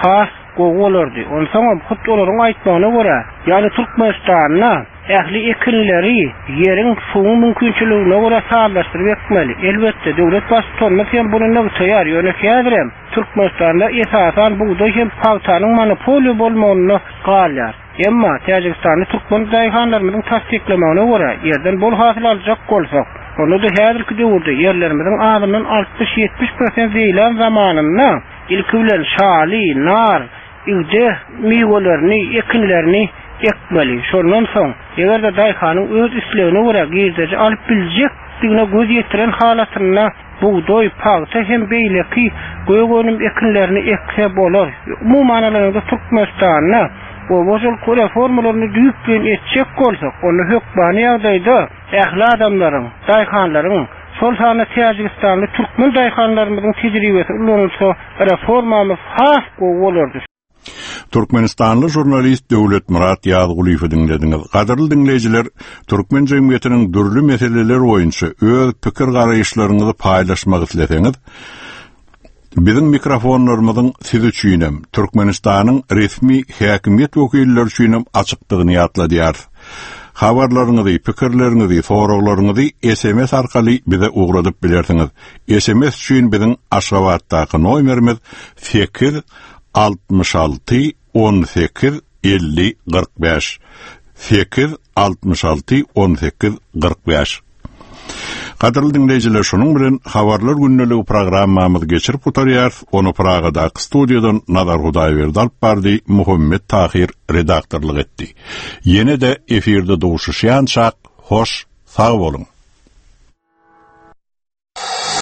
has gowy bolardy. Onsoňam hut olaryň aýtmagyna görä, ýagny Türkmenistanda ähli ekinleri ýeriň, suwuň mümkinçiligine görä sazlaşdyryp ekmeli. Elbetde, döwlet Baştutanymyz hem muny nygtaýar, ýöne häzirem, Türkmenistanda esasan bugdaý hem pagtanyň monopoliýa bolmagynda galýar. Emma Täjigistanly türkmen daýhanlarymyzyň tassyklamagyna görä, ýerden bol hasyl aljak bolsak, onda-da häzirki döwürde ýerlerimiziň azyndan 60-70 prosent zeýlän zamanynda ilki bilen şaly, nar, igde miwelerini, ekinlerini ekmeli. Şondan soň, eger-de daýhanyň öz islegine görä girdeji alyp biljekdigine göz ýetiren halatynda bugdaý, pagta hem beýleki gök önüm ekinlerini ekse bolar. Umuman alanyňda Türkmenistanda oba hojalyk reformalaryny düýpleýin etjek bolsak, onda hökmany ýagdaýda ähli adamlaryň, daýhanlaryň, şol sanda täjigistanly türkmen daýhanlarymyzyň tejribesi ulanylsa reformamyz has gowy bolardy. Türkmenistanly žurnalist Döwletmyrat Ýazgulyýewi diňlediňiz. Gadyrly diňleýjiler, türkmen jemgyýetiniň dürli meseleleri boýunça öz pikir-garaýyşlaryňyzy paýlaşmak isleseňiz, biziň mikrofonlarymyzyň siz üçinem, Türkmenistanyň resmi häkimiýet wekilleri üçinem açykdygyny ýatladýarys. Habarlaryňyzy, pikirleriňizi, soraglaryňyzy sms arkaly bize ugradyp bilersiňiz. Sms üçin biziň Aşgabatdaky nomerimiz 8 66 18 50 45. 8 66 18 45. Gadyrly diňleýjiler, şunuň bilen Habarlar gündeligi programmamyzy geçirip gutarýarys. Ony Pragadaky studiýadan Nazar Hudaýberdi alyp bardy, Muhammet Tahyr redaktorlyk etdi. Ýene-de efirde duşuşýançak, hoş sag boluň!